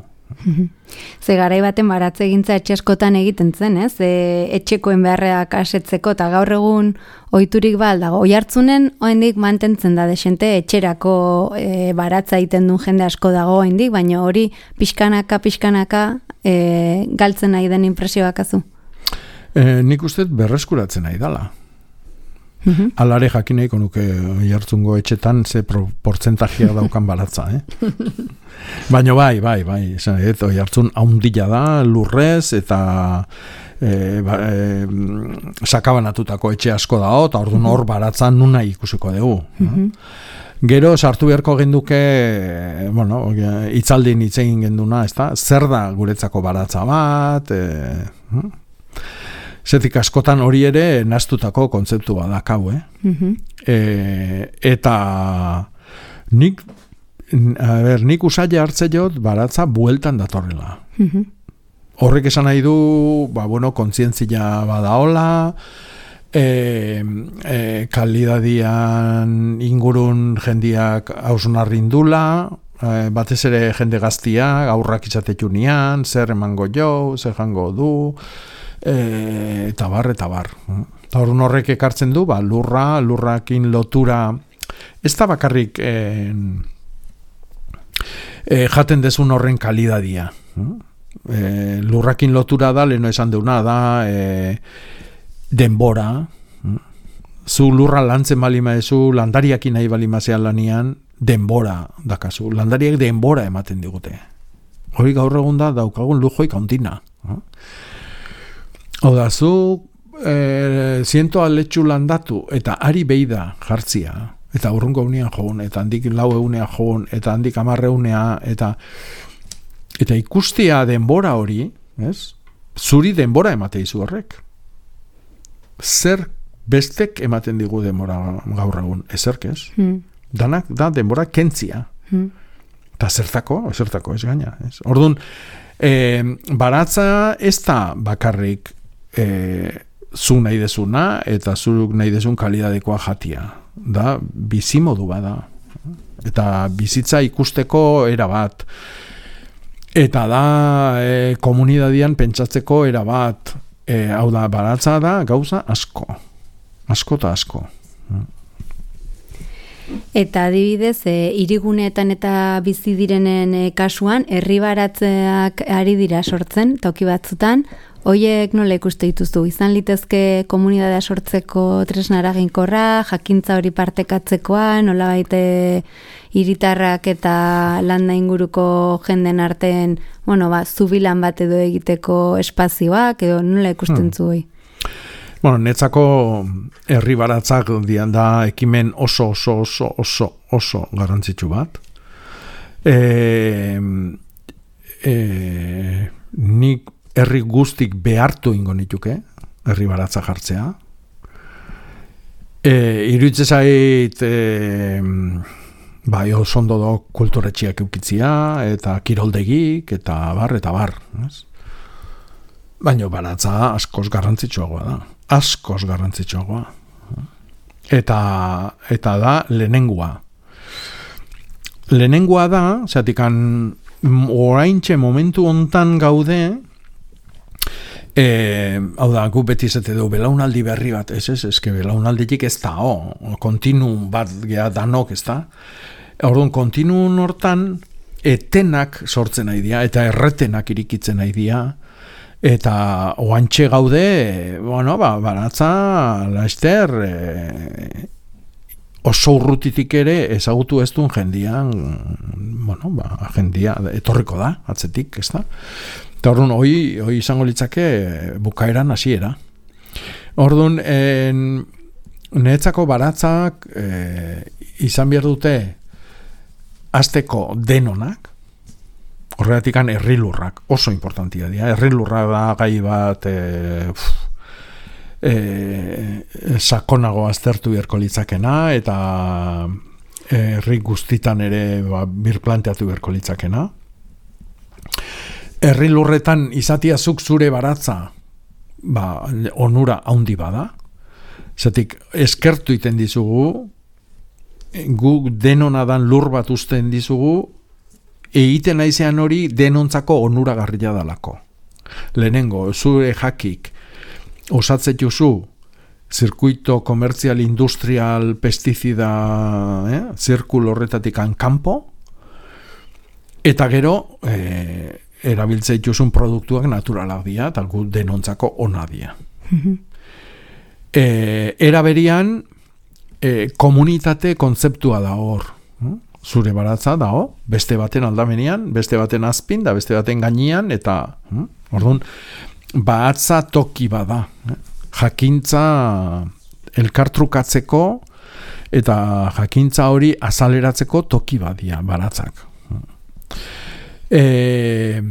Ze garai baten baratze egintza etxe askotan egiten zen, ez? E, etxekoen beharreak asetzeko, eta gaur egun ohiturik bal dago. Oihartzunen oraindik mantentzen da desente etxerako e, baratza egiten duen jende asko dago oraindik, baina hori pixkanaka pixkanaka e, galtzen nahi den inpresioak azu. E, nik uste berreskuratzen nahi dala. Mm-hmm. Alare jakineiko nuke jartzungo etxetan ze portzentajia daukan baratza, eh? Baina bai, bai, bai, eto jartzun haundila da, lurrez, eta e, ba, e, sakabanatutako etxe asko da, eta orduan hor baratza nuna ikusiko dugu. Mm-hmm. Gero sartu beharko genduke, bueno, itzaldin itzegin genduna, ez da, zer da guretzako baratza bat, e, zetik askotan hori ere naztutako kontzeptu badakau, eh? Mm-hmm. E, eta nik, a ber, nik usaila hartze jot baratza bueltan datorrela. Mm-hmm. Horrek esan nahi du, ba, bueno, kontzientzia badaola, e, e, kalidadian ingurun jendiak hausunarrindula, e, batez ere jende gaztiak, aurrak izatetunian, zer emango jo, zer jango du, E, eta bar, eta bar. Eta horren horrek ekartzen du, ba, lurra, lurrakin lotura, ez da bakarrik eh, eh, jaten dezun horren kalidadia. Eh, lurrakin lotura da, leheno esan deuna da, eh, denbora, zu lurra lantzen balima ezu, landariakin nahi balima zean lanian, denbora dakazu. Landariak denbora ematen digute. Hori gaur egun da, daukagun lujoik hantina. Hau da, zu e, ziento aletxu landatu, eta ari beida jartzia, eta urrungo unean joan, eta handik lau egunean joan, eta handik amarre egunea, eta, eta ikustia denbora hori, ez? Zuri denbora emate izu horrek. Zer bestek ematen digu denbora gaur egun, ezerk ez? Hmm. Danak da denbora kentzia. Hmm. Eta zertako, zertako ez gaina. Ez? Orduan, e, baratza ez da bakarrik e, zu nahi dezuna eta zuruk nahi dezun kalidadekoa jatia. Da, bizimodu bada. Eta bizitza ikusteko era bat. Eta da, e, komunidadian pentsatzeko era bat. E, hau da, baratza da gauza asko. Asko eta asko. Eta adibidez, e, hiriguneetan eta bizi direnen e, kasuan, herri baratzeak ari dira sortzen, toki batzutan, hoiek nola ikuste dituzu? Izan litezke komunitatea sortzeko tresna eraginkorra, jakintza hori partekatzekoa, nola baite hiritarrak eta landa inguruko jenden artean, bueno, ba, zubilan bat edo egiteko espazioak, edo nola ikusten hmm. zuei? Bueno, netzako herri baratzak dian da ekimen oso oso oso oso oso garrantzitsu bat. E, e, nik herri guztik behartu ingo nituke, herri baratza jartzea. E, Iruditzen zait, e, bai, oso ondo do kulturetxiak eukitzia, eta kiroldegik, eta bar, eta bar. Ez? Baina baratza askoz garrantzitsuagoa da. Askoz garrantzitsuagoa. Eta, eta da lehenengoa. Lehenengoa da, zatikan oraintxe momentu hontan gaude, e, hau da, gu beti zete du, belaunaldi berri bat, ez ez, ez, belaunalditik ez da, oh, kontinun bat geha danok, ez da. Orduan, kontinun hortan, etenak sortzen nahi dira, eta erretenak irikitzen nahi dira, eta oantxe gaude, bueno, ba, baratza, laizter, e, oso urrutitik ere ezagutu ez duen jendian, bueno, ba, jendia etorriko da, atzetik, ez da? Eta orduan, hoi, hoi izango litzake bukaeran hasiera. Orduan, niretzako baratzak e, izan behar dute hasteko denonak, horregatikan herrilurrak oso importantia dira. Herrilurra da gai bat e, e, sakonago aztertu beharko litzakena, eta herri guztitan ere ba, birplanteatu beharko litzakena. Herrilurretan izatia zuk zure baratza ba, onura handi bada. Zatik, eskertu iten dizugu, guk denonadan lur bat usten dizugu, egiten naizean hori denontzako onuragarria dalako. Lehenengo, zure jakik osatzetuzu zirkuito komertzial, industrial, pestizida, eh, zirkul horretatik kanpo, eta gero eh, erabiltzeituzun produktuak naturalak dira, eta gu denontzako ona dira. eh, era berian, eh, komunitate kontzeptua da hor. Eh? Zure baratza dago, beste baten aldamenean, beste baten azpin, da beste baten gainean, eta hm? orduan, baratza toki bada. Eh? Jakintza elkartrukatzeko eta jakintza hori azaleratzeko toki badia baratzak. E,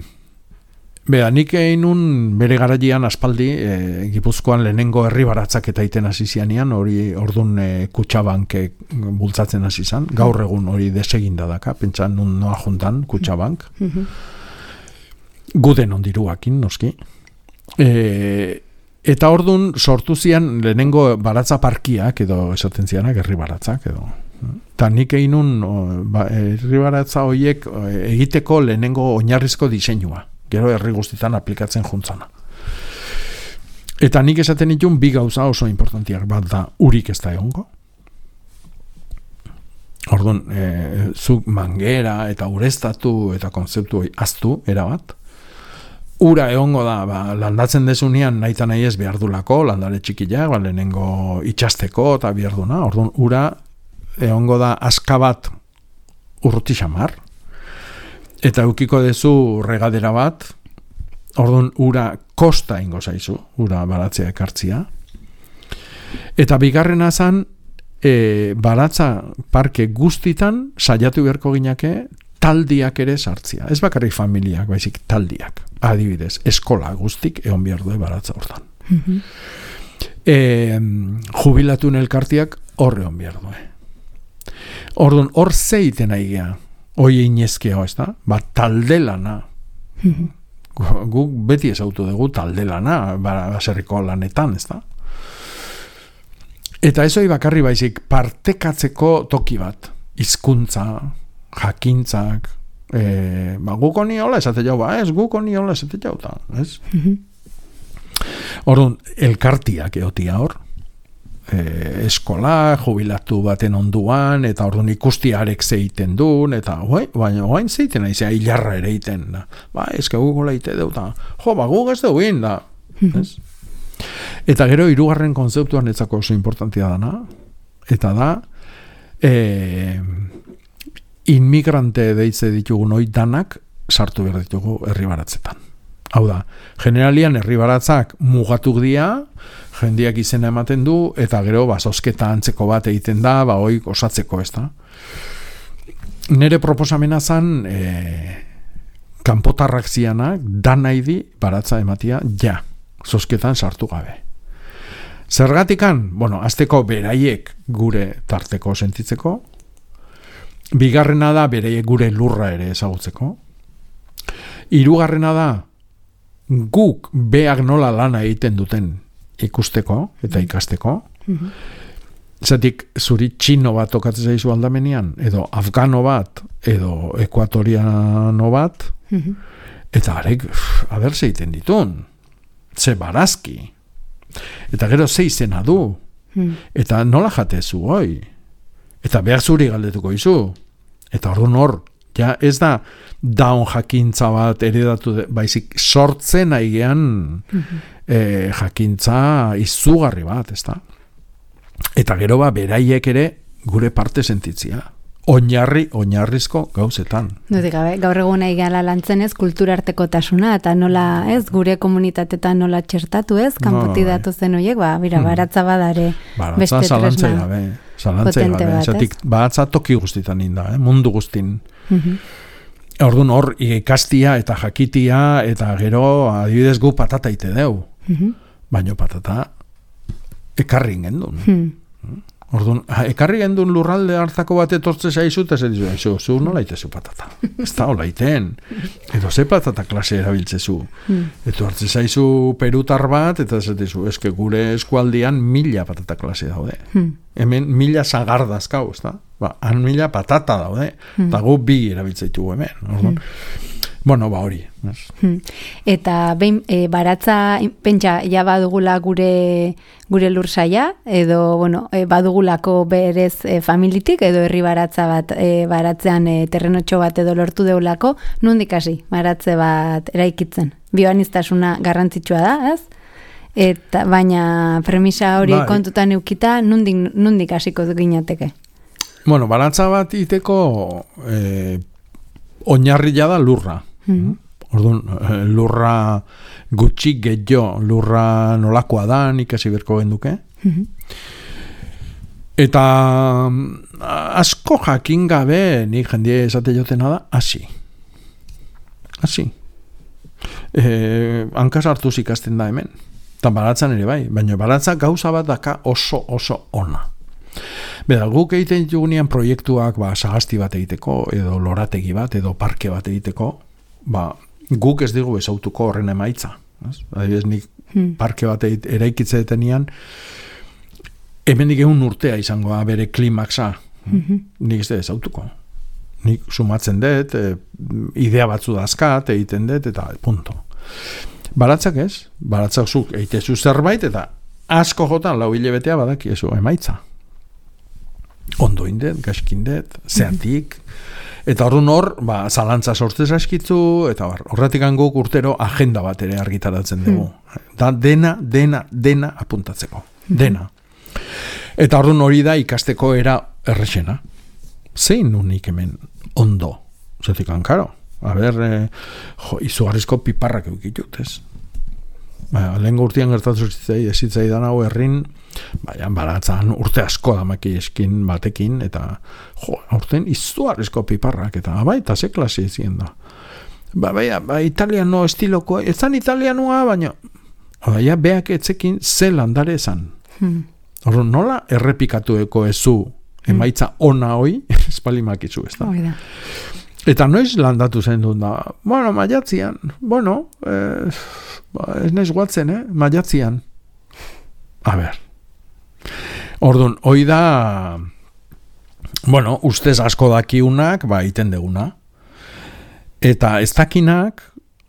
Bera, nik egin nun bere garaian aspaldi, e, Gipuzkoan lehenengo herri baratzak eta iten hasi zianean, hori ordun e, Kutxabank bultzatzen hasi zan, gaur egun hori deseginda daka, pentsan nun noa juntan Kutxabank, guden ondiruakin, noski. E, eta ordun sortu zian lehenengo baratza parkiak, edo esaten zianak herri baratzak, edo. Eta nik egin nun ba, herri baratza horiek egiteko lehenengo oinarrizko diseinua. Gero herri guztietan aplikatzen juntzana. Eta nik esaten ditun bi gauza oso importantiak, bat da urik ez da egongo. Orduan, e, zuk mangera eta ureztatu eta konzeptu aztu, erabat. Ura egongo da, ba, landatzen desunean nahi eta nahi ez behar dulako, landare txikiak, ba, lehenengo itxasteko eta behar duna. Orduan, ura egongo da aska bat urruti xamar. Eta eukiko dezu regadera bat, orduan, ura kosta ingo zaizu, ura baratzea ekartzia. Eta bigarrena zan, e, baratza parke guztitan saiatu beharko ginake taldiak ere sartzia. Ez bakarrik familiak, baizik taldiak. Adibidez, eskola guztik egon behar du baratza hortan. Mm-hmm. E, jubilatun elkartiak horre egon behar du. Orduan, hor zeiten aigea, hoi inezkeo, ez da? Ba, talde lana. Mm-hmm. Guk beti ezautu dugu talde lana, baserriko lanetan, ez da? Eta ez hori bakarri baizik partekatzeko toki bat, hizkuntza, jakintzak, e, ba, guk honi hola esate jau, ba, ez, guk honi hola esate jau, ta, ez? Mm-hmm. Orduan, elkartiak eotia hor, e, eskola, jubilatu baten onduan, eta orduan ikustiarek zeiten duen, eta oi, baina oain zeiten aizea hilarra ere iten, da. Ba, eske guk hola ite deu, da. Jo, ba, guk ez duin, da. Mm-hmm. Ez? Eta gero hirugarren kontzeptuan etzako oso importantia dana, eta da e, inmigrante deitze ditugun hoi danak sartu behar ditugu herribaratzetan. Hau da, generalian herribaratzak mugatuk dira, jendiak izena ematen du, eta gero ba, zozketa antzeko bat egiten da, ba, hoi osatzeko ez da. Nere proposamena zan e, kanpotarrak zianak danaidi baratza ematia ja. Zozketan sartu gabe. Zergatikan, bueno, azteko beraiek gure tarteko sentitzeko, bigarrena da beraiek gure lurra ere ezagutzeko, hirugarrena da guk beak nola lana egiten duten ikusteko eta ikasteko, mm-hmm. Zatik zuri txino bat tokatzen zaizu aldamenean, edo afgano bat, edo ekuatoriano bat, mm-hmm. Eta arek, aber zeiten ditun, ze barazki, eta gero ze izena du, hmm. Eta nola jatezu hoi, eta behar zuri galdetuko izu, eta orduan hor, ja ez da daun jakintza bat eredatu, de, baizik sortzen aigean hmm. e, jakintza izugarri bat, ez da? Eta gero ba, beraiek ere gure parte sentitzia. Oinarri, oinarrizko gauzetan. Dudik gabe, gaur egun nahi gala lantzen ez, kulturarteko tasuna, eta nola, ez, gure komunitatetan nola txertatu ez, kanpoti no, datu zen horiek, ba, bira, hmm. baratza badare beste tresna gabe, potente bat, ez? Baratza toki guztitan inda, eh? Mundu guztin. Mm-hmm. Orduan hor, ikastia eta jakitia, eta gero, adibidez gu patata ite deu. Mm-hmm. Baina patata ekarri gendun. Hmm. Orduan, ekarri gendun lurralde hartako bat etortze zaizu, eta zer dizu, zu, zu nola itezu patata. Ez da, hola iten. Edo ze patata klase erabiltzezu. Mm. Eto hartze zaizu perutar bat, eta zer dizu, eske gure eskualdian mila patata klase daude. Mm. Hemen mila zagardazkau, ez da? Ba, han mila patata daude. Mm. Eta gu bi erabiltzeitu hemen. Orduan, mm. Bueno, ba hori. Hmm. Eta behin, e, baratza, pentsa, ja badugula gure, gure lursaia, edo, bueno, e, badugulako berez e, familitik, edo herri baratza bat, e, baratzean e, terrenotxo bat edo lortu deulako, nondik hasi, baratze bat eraikitzen. Bioaniztasuna garrantzitsua da, ez? Eta, baina premisa hori ba, kontutan eukita, nondik, nondik hasiko ginateke? Bueno, baratza bat iteko e, oinarria da lurra. Mm-hmm. Orduan, lurra gutxi gehiago, lurra nolakoa da, ikasi berko genduke. Mm-hmm. Eta asko jakin gabe, nik jendie esate jotena da, hasi. Hasi. E, hankaz hartuz ikasten da hemen. Eta baratzan ere bai, baina baratza gauza bat daka oso oso ona. Beda, guk egiten ditugunean proiektuak ba, sagasti bat egiteko, edo lorategi bat, edo parke bat egiteko, ba, guk ez digu ezautuko horren emaitza. Adibidez, nik hmm. parke bat eraikitze detenean, hemendik egun urtea izangoa bere klimaksa. Mm-hmm. Nik ez da ezautuko. Nik sumatzen dut, e, idea batzu dazkat, egiten dut, eta punto. Baratzak ez, baratzak zuk eitezu zerbait, eta asko jotan lau hilebetea badakiezu emaitza. Ondo indet, gaskindet, zeatik, eta horren hor, ba, zalantza sortzez askitzu, eta bar, horretik guk urtero agenda bat ere argitaratzen dugu. Da dena, dena, dena apuntatzeko. Dena. Eta horren hori da ikasteko era errexena. Zein unik hemen ondo. Zetik karo. A ber, eh, jo, izugarrizko piparrak eukitut, ez? Ba, lehen urtean gertatu zitzai, ezitzai dan hau errin, baina baratzan urte asko damaki eskin batekin, eta jo, urtean izugarrizko piparrak, eta bai, eta ze klase izien da. Ba, baina, ba, italiano estiloko, ez zan italianoa, baina, baina, beak etzekin ze landare esan. Hmm. Horro, nola errepikatueko ezu emaitza ona hoi, espalimakizu, ez da. Oh, eta noiz landatu zen dut da, bueno, maiatzian, bueno, eh, ba, ez naiz guatzen, eh, maiatzian. A ber. Orduan, hoi da, bueno, ustez asko dakiunak, ba, iten deguna. Eta ez dakinak,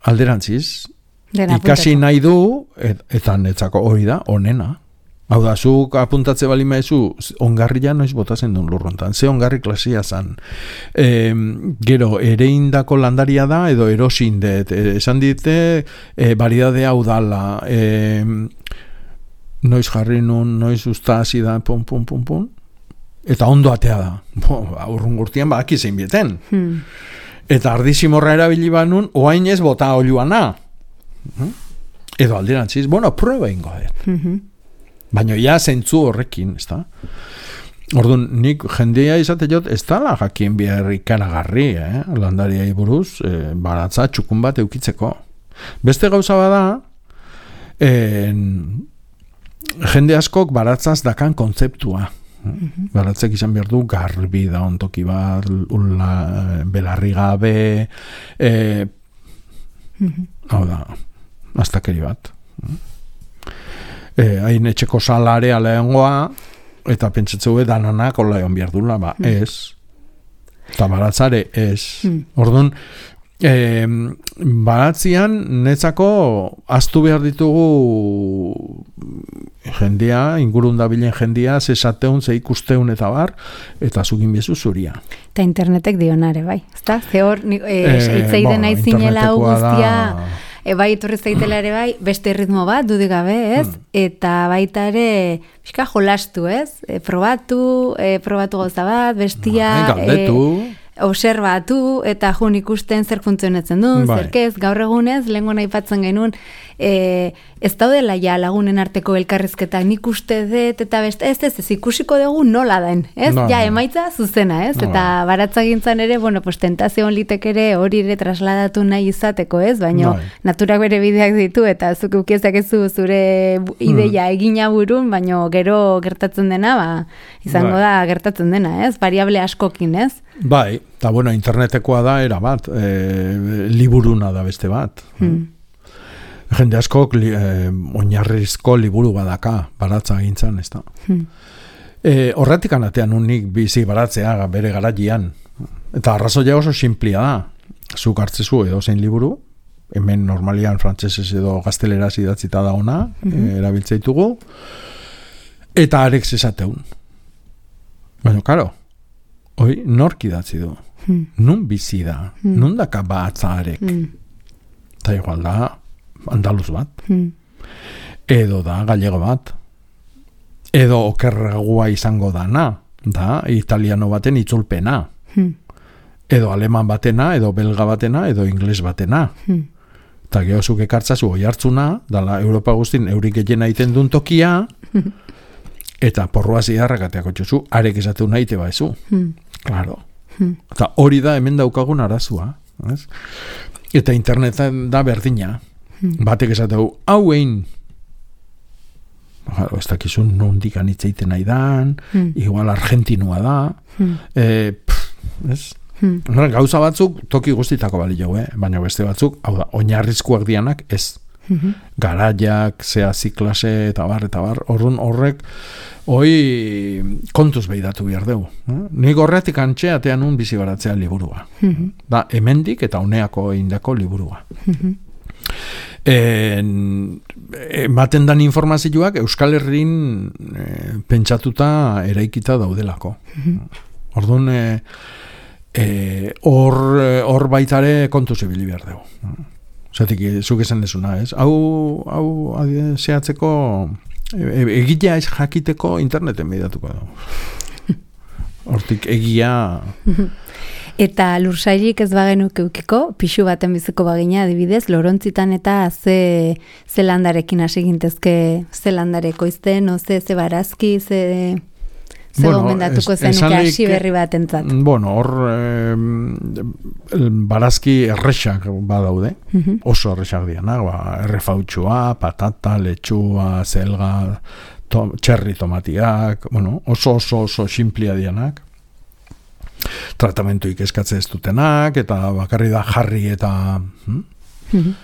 alderantziz, ikasi nahi du, et, eta netzako hori da, onena. Hau da, zuk apuntatze bali maizu, ongarria noiz botazen duen lurrontan, ze ongarri klasia zan. E, gero, ereindako landaria da, edo erosindet, e, esan dite, e, baridade hau dala, e, noiz jarri nun, noiz usta hasi da, pum, pum, pum, pum, eta ondo atea da. Bo, urrun gurtian baki zein bieten. Hmm. Eta ardizimorra erabili banun, oain ez bota oluana. Edo alderantziz, bueno, prueba ingo dut. Mm-hmm. Baina ja zentzu horrekin, ez da? Orduan, nik jendea izate jot, ez da la jakien behar ikaragarri, eh? Landariai buruz, eh, baratza txukun bat eukitzeko. Beste gauza bada, eh, jende askok baratzaz dakan kontzeptua. Mm-hmm. Baratzek izan behar du garbi da ontoki bat, ula, belarri gabe, eh, mm-hmm. hau da, aztakeri bat. Eh, hain etxeko salare aleangoa, eta pentsatzeu dananak hola egon behar dula, ba, mm. ez. Eta baratzare, ez. Mm. Orduan, eh, baratzian netzako aztu behar ditugu jendea, ingurun dabilen jendea, zesateun, ze ikusteun eta bar, eta zugin bezu zuria. Eta internetek dionare, bai. Ezta? Ze hor, eitzeiden eh, aizinela hau guztia... E, bai, etorri zaitela ere bai, beste ritmo bat, dudik gabe, ez? Hmm. Eta baita ere, pixka jolastu, ez? E, probatu, e, probatu gauza bat, bestia... Galdetu... E, obserbatu, eta jun ikusten zer funtzionetzen duen, bai. Zerkez, gaur egunez, lehenko nahi patzen genuen, e, ez daudela ja lagunen arteko elkarrizketak, nik uste dut, eta beste, ez, ez, ez, ikusiko dugu nola den, ez? No, ja, emaitza zuzena, ez? No, eta baratzagintzan ere, bueno, pues, tentazio litek ere hori ere trasladatu nahi izateko, ez? Baina, no. Naturak bere bideak ditu, eta zuk ukiezak ez zu zure ideia hmm. egina burun, baina gero gertatzen dena, ba, izango bai. Da gertatzen dena, ez? Variable askokin, ez? Bai, eta bueno, internetekoa da era bat, e, liburuna da beste bat. Hmm. Jende askok li, e, oinarrizko liburu badaka, baratza gintzan, ez da. Hmm. E, horretik anatean unik bizi baratzea bere garaian. Eta arrazoia oso simplia da. Zuk hartzezu edo zein liburu, hemen normalian frantsesez edo gazteleraz idatzita da ona, hmm. e, erabiltzeitugu, eta arek esateun. Baina, karo, hoi, nork idatzi du? Hmm. Nun bizi da? Hmm. Nun daka batzarek? Hmm. Eta igual da, andaluz bat. Hmm. Edo da, gallego bat. Edo okerragua izango dana. Da, italiano baten itzulpena. Hmm. Edo aleman batena, edo belga batena, edo ingles batena. Hmm. Eta gehozuk ekartzazu oi hartzuna, dala Europa guztin eurik egena iten duen tokia, hmm. eta porroa zidarrakateako txuzu, arek esatu nahi te baizu. Hmm. Claro. Hmm. Eta hori da hemen daukagun arazua. Ez? Eta internetan da berdina. Hmm. Batek esateu, hau egin. Ez dakizun nondik anitzeiten nahi dan, hmm. igual argentinua da. Hmm. E, pff, ez? Hmm. Gauza batzuk toki guztitako bali jau, eh? Baina beste batzuk, hau da, oinarrizkoak dianak ez. Mm-hmm. Garaiak, zea ziklase, eta bar, eta bar, horren horrek hoi kontuz behidatu behar dugu. Eh? Nik horretik antxeatean un bizi baratzea liburua. Mm-hmm. Da, hemendik eta uneako indako liburua. Mm-hmm. En, ematen dan informazioak Euskal Herrin e, pentsatuta eraikita daudelako. Mm-hmm. Orduan, e, e, hor, hor baitare kontu zibili behar dugu. Zatik, zuk esan desuna, ez? Hau, hau zehatzeko, e, egitea ez jakiteko interneten behidatuko dugu. Hortik egia... Eta lursailik ez bagenuk eukiko, pixu baten biziko bagina adibidez, lorontzitan eta ze, ze landarekin hasi gintezke, ze landareko izten, o ze, ze barazki, ze, ze bueno, gomendatuko zenuke hasi berri bat entzat. Bueno, hor eh, barazki errexak badaude, uh-huh. oso errexak dianak, ba, errefautxua, patata, letxua, zelga, to, txerri tomatiak, bueno, oso oso oso simplia dianak. Tratamentuik eskatze ez dutenak, eta bakarri da jarri eta hm? mm-hmm.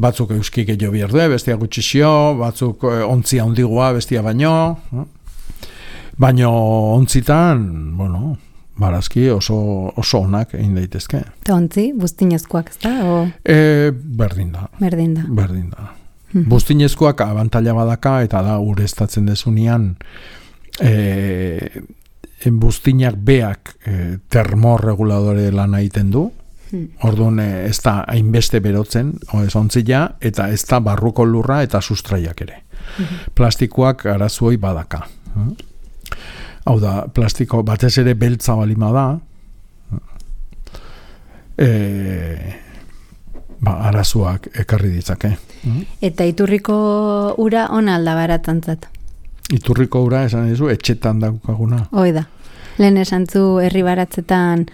batzuk euskik edo bierdue, bestia gutxixio, batzuk ontzia ondigua, bestia baino, hm? baino ontzitan, bueno, barazki oso, oso onak egin daitezke. Eta ontzi, buztinezkoak ez da? O... E, berdin da. Berdin da. Berdin da. Mm-hmm. Buztinezkoak abantaila badaka, eta da ureztatzen desunean, e, buztinak beak e, termorreguladore lan egiten du, hmm. orduan e, ez da hainbeste berotzen, ez ontzila, eta ez da barruko lurra eta sustraiak ere. Hmm. Plastikoak arazuoi badaka. Hmm? Hau da, plastiko batez ere beltza balima da, e, ba, arazuak ekarri ditzake. Hmm? Eta iturriko ura ona alda baratantzat? Iturriko ura, esan dizu, etxetan daukaguna. Hoi da. Lehen esan zu herri baratzetan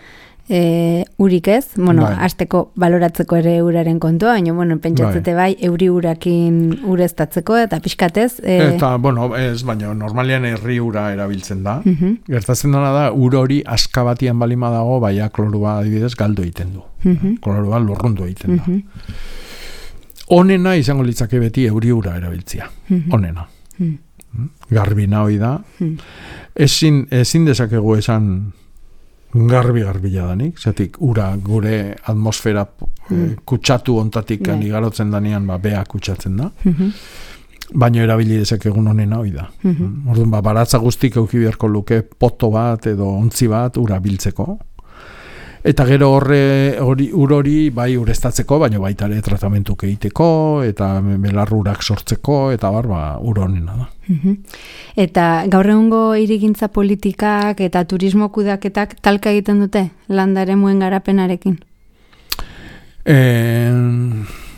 e, urik ez, bueno, bai. Azteko baloratzeko ere uraren kontua, baina, bueno, pentsatzete bai, bai euri urakin ureztatzeko eta pixkatez. E... Eta, bueno, ez, baina normalian herri ura erabiltzen da. Uh-huh. Gertatzen dena da, ur hori aska batian balima dago, baina klorua adibidez galdu egiten du. Uh-huh. Klorua lurrundu egiten da. Uh-huh. Onena izango litzake beti euri ura erabiltzia. Uh-huh. Onena. Uh-huh. Garbina hoi da. Hmm. Ezin, ezin dezakegu esan garbi-garbila danik, zatik ura gure atmosfera hmm. kutsatu ontatik yeah. igarotzen danean, ba, bea kutsatzen da. Mm-hmm. Baina erabili dezakegun honena hoi da. Mm-hmm. Orduan, ba, baratza guztik euki beharko luke poto bat edo ontzi bat ura biltzeko. Eta gero horre hori ur hori bai ureztatzeko, baina baita ere tratamentuk egiteko eta belarrurak sortzeko eta bar ba ur honena da. Uh-huh. Eta gaur egungo hirigintza politikak eta turismo kudeaketak talka egiten dute landaremuen garapenarekin. Eh,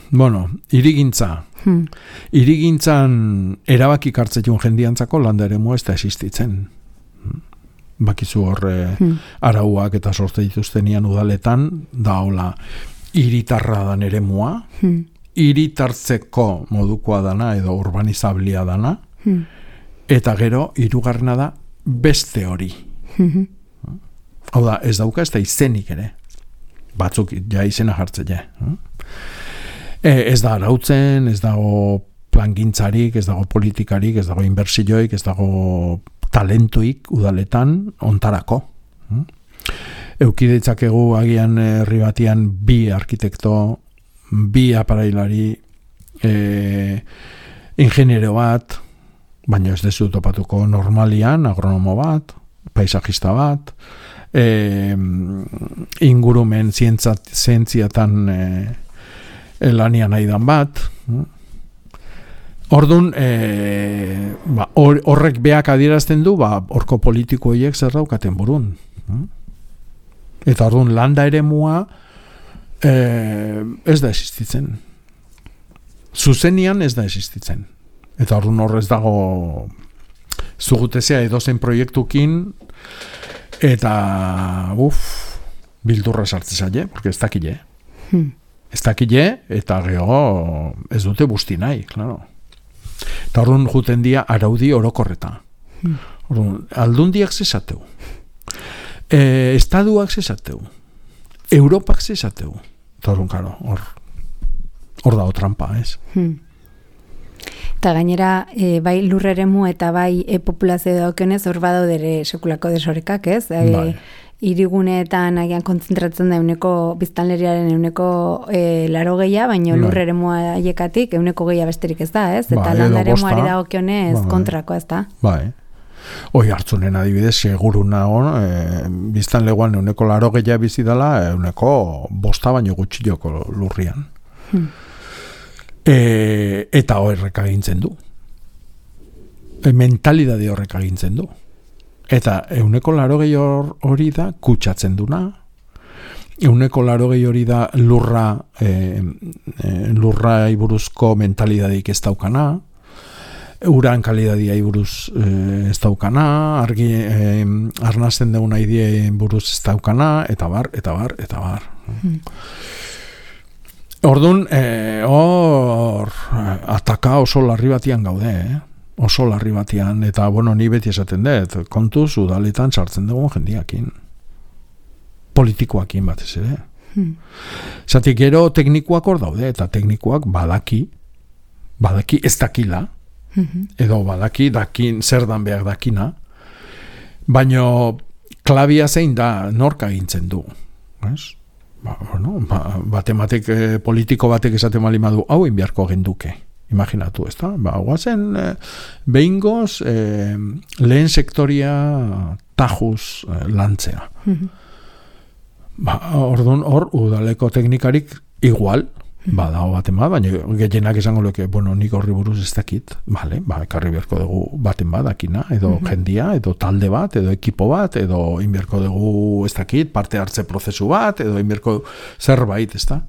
bueno, hirigintza. Hmm. Hirigintzan erabaki hartzen jendiantzako landaremua ez da existitzen. Bakizu horre hmm. arauak eta sorte dituztenian udaletan, da hola, hiritarra dan eremua, hmm. hiritartzeko modukoa dana edo urbanizablia dana, hmm. eta gero hirugarrena da beste hori. Hmm. Hau da, ez dauka ez da izenik ere. Batzuk ja izena jartzen ja. E, ez da arautzen, ez dago plangintzarik, ez dago politikarik, ez dago inbertsioik, ez dago talentuik udaletan ontarako. Euki ditzakegu agian herri batian bi arkitekto, bi aparailari, e, ingeniero bat, baina ez dezu topatuko normalian, agronomo bat, paisajista bat, e, ingurumen zientzat, zientziatan e, lanian aidan bat, Orduan, e, ba, or, horrek beak adierazten du, ba, horko politiko horiek zer daukaten burun. Eta orduan, landa eremua e, ez da existitzen. Zuzenian ez da existitzen. Eta orduan horrez dago zugutezea edozen proiektukin eta uf, bildurra sartzen zaile, porque ez dakile. Hmm. Ez dakile eta geho ez dute busti nahi, klaro. Eta orduan juten dia araudi orokorreta. Hmm. Orduan, aldundiak zesateu. E, estaduak zesateu. Europak zesateu. Eta orduan, karo, hor, hor dago trampa, ez? Hmm. Eta gainera, e, bai lurreremu eta bai e, populazio daukionez, hor badaudere sekulako desorekak, ez? E, bai. Iriguneetan agian kontzentratzen da euneko biztanleriaren euneko e, laro gehiago, baina lurreremua haiekatik euneko gehiago besterik ez da, ez? Eta bai, landaremuari dagokionez bai, kontrako ez da. Bai. Hoi hartzunen adibidez, seguru nago, e, biztan leguan euneko laro gehiago bizi dela, euneko bosta baino gutxioko lurrian. Hmm. E, eta horrek agintzen du. E, mentalidade horrek agintzen du. Eta euneko laro gehiago hori da kutsatzen duna, euneko laro gehiago hori da lurra, e, e, lurra iburuzko mentalidadeik ez daukana, uran kalidadia buruz e, ez daukana, argi e, arnasten deuna idea buruz ez daukana, eta bar, eta bar, eta bar. Hmm. Orduan, e, hor ataka oso larri batian gaude, eh? oso larri batian, eta bueno, ni beti esaten dut, kontuz udaletan sartzen dugun jendiakin. Politikoakin batez ere. Hmm. Zatik gero teknikoak hor daude, eta teknikoak badaki, badaki ez dakila, edo badaki dakin zer dan behar dakina, baino klabia zein da nork agintzen du, ez? Ba, bueno, ba, batematek, eh, politiko batek esaten malimadu hau inbiarko genduke, imaginatu, ez da? Ba, guazen eh, behingoz eh, lehen sektoria tajuz eh, lantzea. Ba, orduan hor udaleko teknikarik igual, badao baten bat, baina gehienak esango leke, bueno, nik horri buruz ez dakit, vale, ba, ekarri beharko dugu baten bat, dakina, edo uh-huh. jendia, edo talde bat, edo ekipo bat, edo inberko dugu ez dakit, parte hartze prozesu bat, edo inberko zerbait, ez da?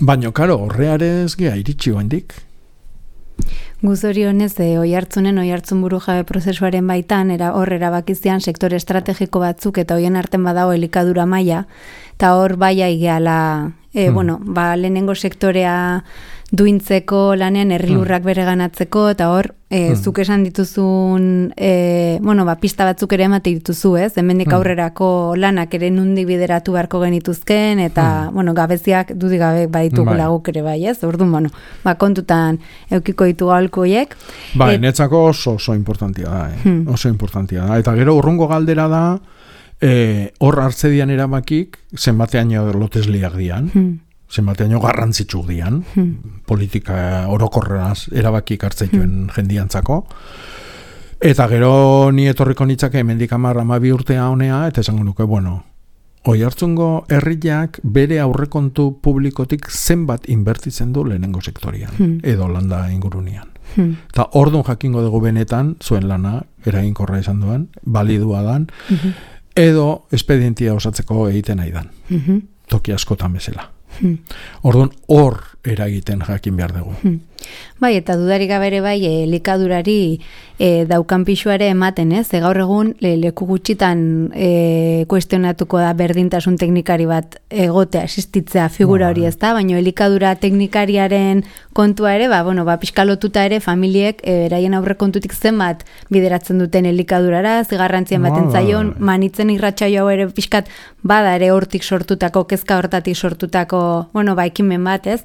Baina, karo, horrearez gea iritsi oendik. Guzori honez, e, oi hartzunen, oi hartzun buru jabe prozesuaren baitan, era hor erabakizian sektore estrategiko batzuk eta hoien arten badago elikadura maila, eta hor baia igeala, e, hmm. bueno, ba, lehenengo sektorea duintzeko lanean herrilurrak hmm. bereganatzeko, eta hor, e, hmm. zuk esan dituzun, e, bueno, ba, pista batzuk ere emate dituzu, ez? Hemendik hmm. aurrerako lanak ere nundik bideratu beharko genituzken, eta, hmm. bueno, gabeziak dudik gabe baditugu bai. Laguk ere bai, ez? Orduan, bueno, ba, kontutan eukiko ditu aholkuiek. Bai, Et... netzako oso, oso importantia da, eh? hmm. oso importantia da. Eta gero urrungo galdera da, e, hor hartzedian erabakik, zenbateaino lotesliak dian, hmm. zenbateaino garrantzitsuk dian, hmm. politika orokorraz erabakik hartzeituen hmm. jendiantzako. Eta gero ni etorriko nitzake hemendik hamar hamabi urtea honea, eta esango nuke, bueno, oi hartzungo herriak bere aurrekontu publikotik zenbat inbertitzen du lehenengo sektorian, hmm. edo landa ingurunian. Hmm. Eta orduan jakingo dugu benetan, zuen lana, eraginkorra izan duen, balidua dan, hmm. edo espedientia osatzeko egiten nahi dan. Hmm. Toki askotan bezala. Hmm. Orduan hor eragiten jakin behar dugu. Hmm. Bai, eta dudarik gabere bai, elikadurari e, daukan pixuare ematen, ez? E, gaur egun le, leku gutxitan e, kuestionatuko da berdintasun teknikari bat egotea, existitzea figura hori, ez da? Baina elikadura teknikariaren kontua ere, ba, bueno, ba, pixkalotuta ere familiek eraien e, aurre kontutik zenbat bideratzen duten elikadurara, zigarrantzien baten zaion, manitzen irratsaio hau ere pixkat bada ere hortik sortutako, kezka hortatik sortutako, bueno, ba, ekimen bat, ez?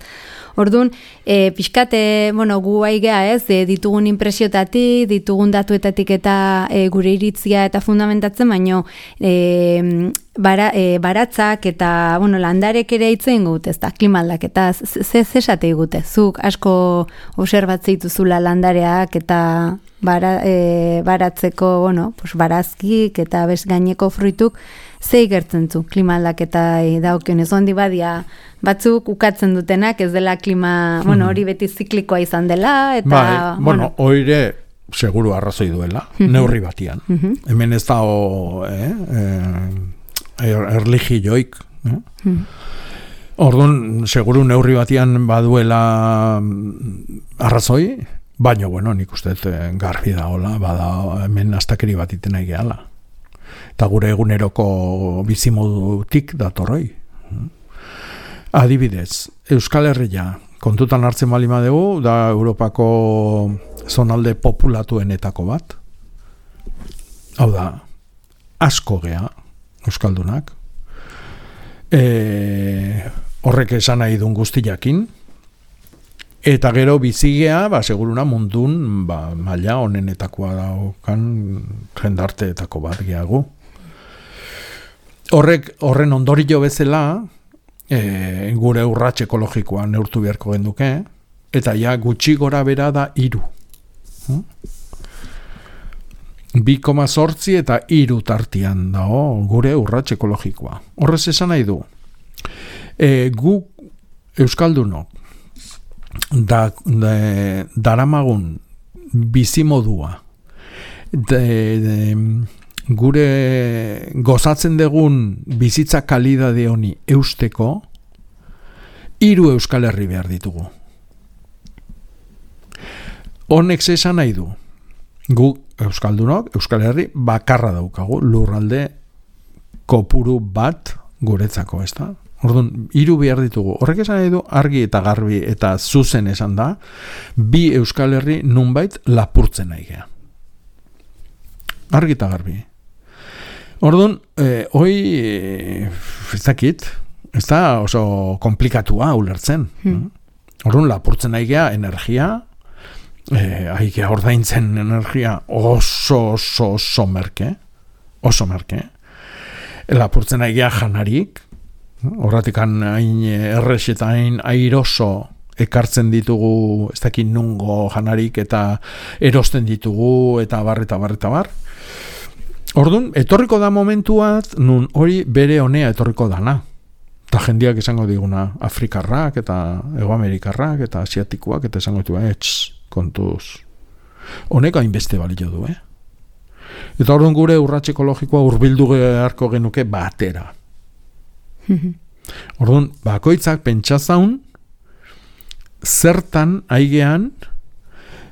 Orduan, e, pixkate, bueno, gu aigea ez, e, ditugun impresiotatik, ditugun datuetatik eta e, gure iritzia eta fundamentatzen, baino e, bara, e, baratzak eta, bueno, landarek ere itzen gut, ez da, klimaldak, eta ze esate gute, zuk asko obserbatzea dituzula landareak eta bara, e, baratzeko, bueno, pues, barazkik eta bez gaineko fruituk, ze igertzen zu, klima aldaketa daukionez, ondi badia batzuk ukatzen dutenak, ez dela klima, bueno, hori beti ziklikoa izan dela, eta... Bai, bueno, oire seguru arrazoi duela, neurri batian. Hemen ez da, eh, eh, erligioik, eh? Orduan, seguru neurri batian baduela arrazoi, baina, bueno, nik uste garbi da, hola, bada, hemen astakeri bat iten nahi gehala. Eta gure eguneroko bizimodutik datorroi. Adibidez, Euskal Herria kontutan hartzen bali madegu, da Europako zonalde populatuenetako bat. Hau da, asko gea Euskaldunak. E, horrek esan nahi duen guztiakin. Eta gero bizigea, ba, seguruna mundun, ba, maila honenetakoa daukan jendarteetako bat geagu. Horrek, horren ondorio bezala, e, gure urrats ekologikoa neurtu beharko genduke, eta ja gutxi gora bera da hiru. Hmm? bi koma zortzi eta hiru tartian dago gure urrats ekologikoa. Horrez esan nahi du. E, gu euskaldunok da, da, daramagun bizimodua de, de, gure gozatzen dugun bizitza kalidade honi eusteko hiru Euskal Herri behar ditugu. Honek esan nahi du. Gu euskaldunok Euskal Herri bakarra daukagu, lurralde kopuru bat guretzako, ez da? Orduan, hiru behar ditugu. Horrek esan nahi du, argi eta garbi eta zuzen esan da, bi Euskal Herri nunbait lapurtzen nahi gea. Argi eta garbi. Orduan, eh, hoi, eh, ez dakit, ez da oso komplikatua ulertzen. Hmm. Orduan, lapurtzen nahi gea energia, eh, aigea ordaintzen energia oso, oso, oso merke, oso merke. Lapurtzen nahi gea janarik, horratikan hain errex eta hain airoso ekartzen ditugu, ez dakit nungo janarik eta erosten ditugu eta bar, eta bar, eta bar. Orduan, etorriko da momentuat, nun hori bere honea etorriko dana. Eta jendiak esango diguna, Afrikarrak eta Egoamerikarrak eta Asiatikoak eta esango ditu, etx, kontuz. Honek hainbeste balio du, eh? Eta orduan gure urrats ekologikoa hurbildu beharko genuke batera. Orduan, bakoitzak pentsazaun zertan aigean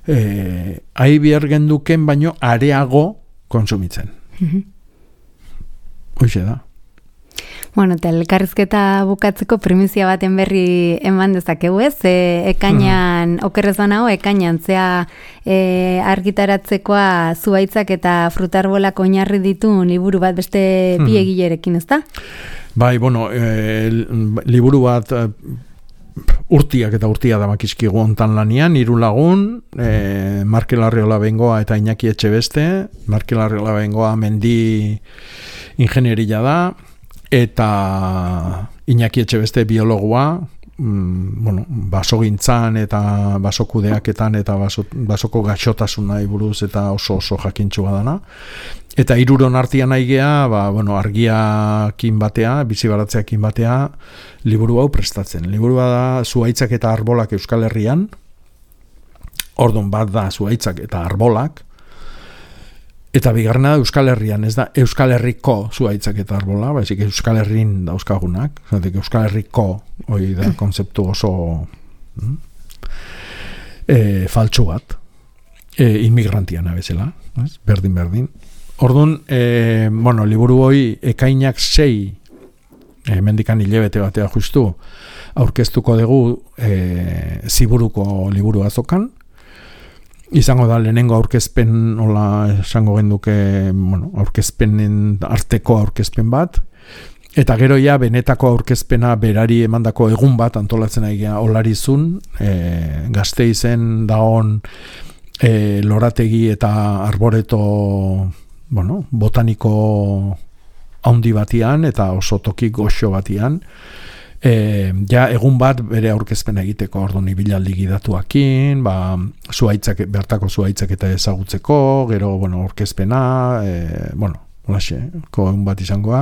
eh, aibier genduken baino areago konsumitzen. Hoxe da. Bueno, eta elkarrizketa bukatzeko primizia baten berri eman dezakegu ez, e, ekainan, mm. okerrez banago, ekainan, zea e, argitaratzekoa zuhaitzak eta frutarbolak oinarri ditun liburu bat beste mm. bi egilerekin, ez da? Bai, bueno, e, liburu bat e, urtiak eta urtia da makizkigu ontan lanian, hiru lagun, e, Markel Arriola Bengoa eta Iñaki Etxebeste, Markel Arriola Bengoa mendi ingenieria da, eta Iñaki Etxebeste biologua, mm, bueno, basogintzan eta basokudeaketan eta baso, basoko gaixotasunai buruz eta oso oso jakintxua dana. Eta hiruron artean aigea, ba, bueno, argiakin batea, bizibaratzeakin batea, liburu hau prestatzen. Liburua da zuhaitzak eta arbolak Euskal Herrian, ordun bat da zuhaitzak eta arbolak, eta bigarrena da Euskal Herrian, ez da Euskal Herriko zuhaitzak eta arbola, baizik Euskal Herrin dauzkagunak, zatek Euskal Herriko hori da konzeptu oso mm, e, faltsu bat, e, inmigrantiana bezala, ez? berdin berdin. Orduan, e, bueno, liburu hori ekainak sei, e, mendikan hilebete batea justu, aurkeztuko dugu e, ziburuko liburu azokan, izango da lehenengo aurkezpen, hola esango genduke, bueno, aurkezpenen arteko aurkezpen bat, eta gero ja benetako aurkezpena berari emandako egun bat antolatzen aigea olarizun, e, Gasteizen daon e, lorategi eta arboreto, bueno, botaniko haundi batian eta oso toki goxo batian, E, ja egun bat bere aurkezpena egiteko, orduan ibilaldi gidatuakin, ba, zuhaitzak, bertako zuhaitzak eta ezagutzeko, gero, bueno, aurkezpena, e, bueno, holaxe, egun bat izangoa,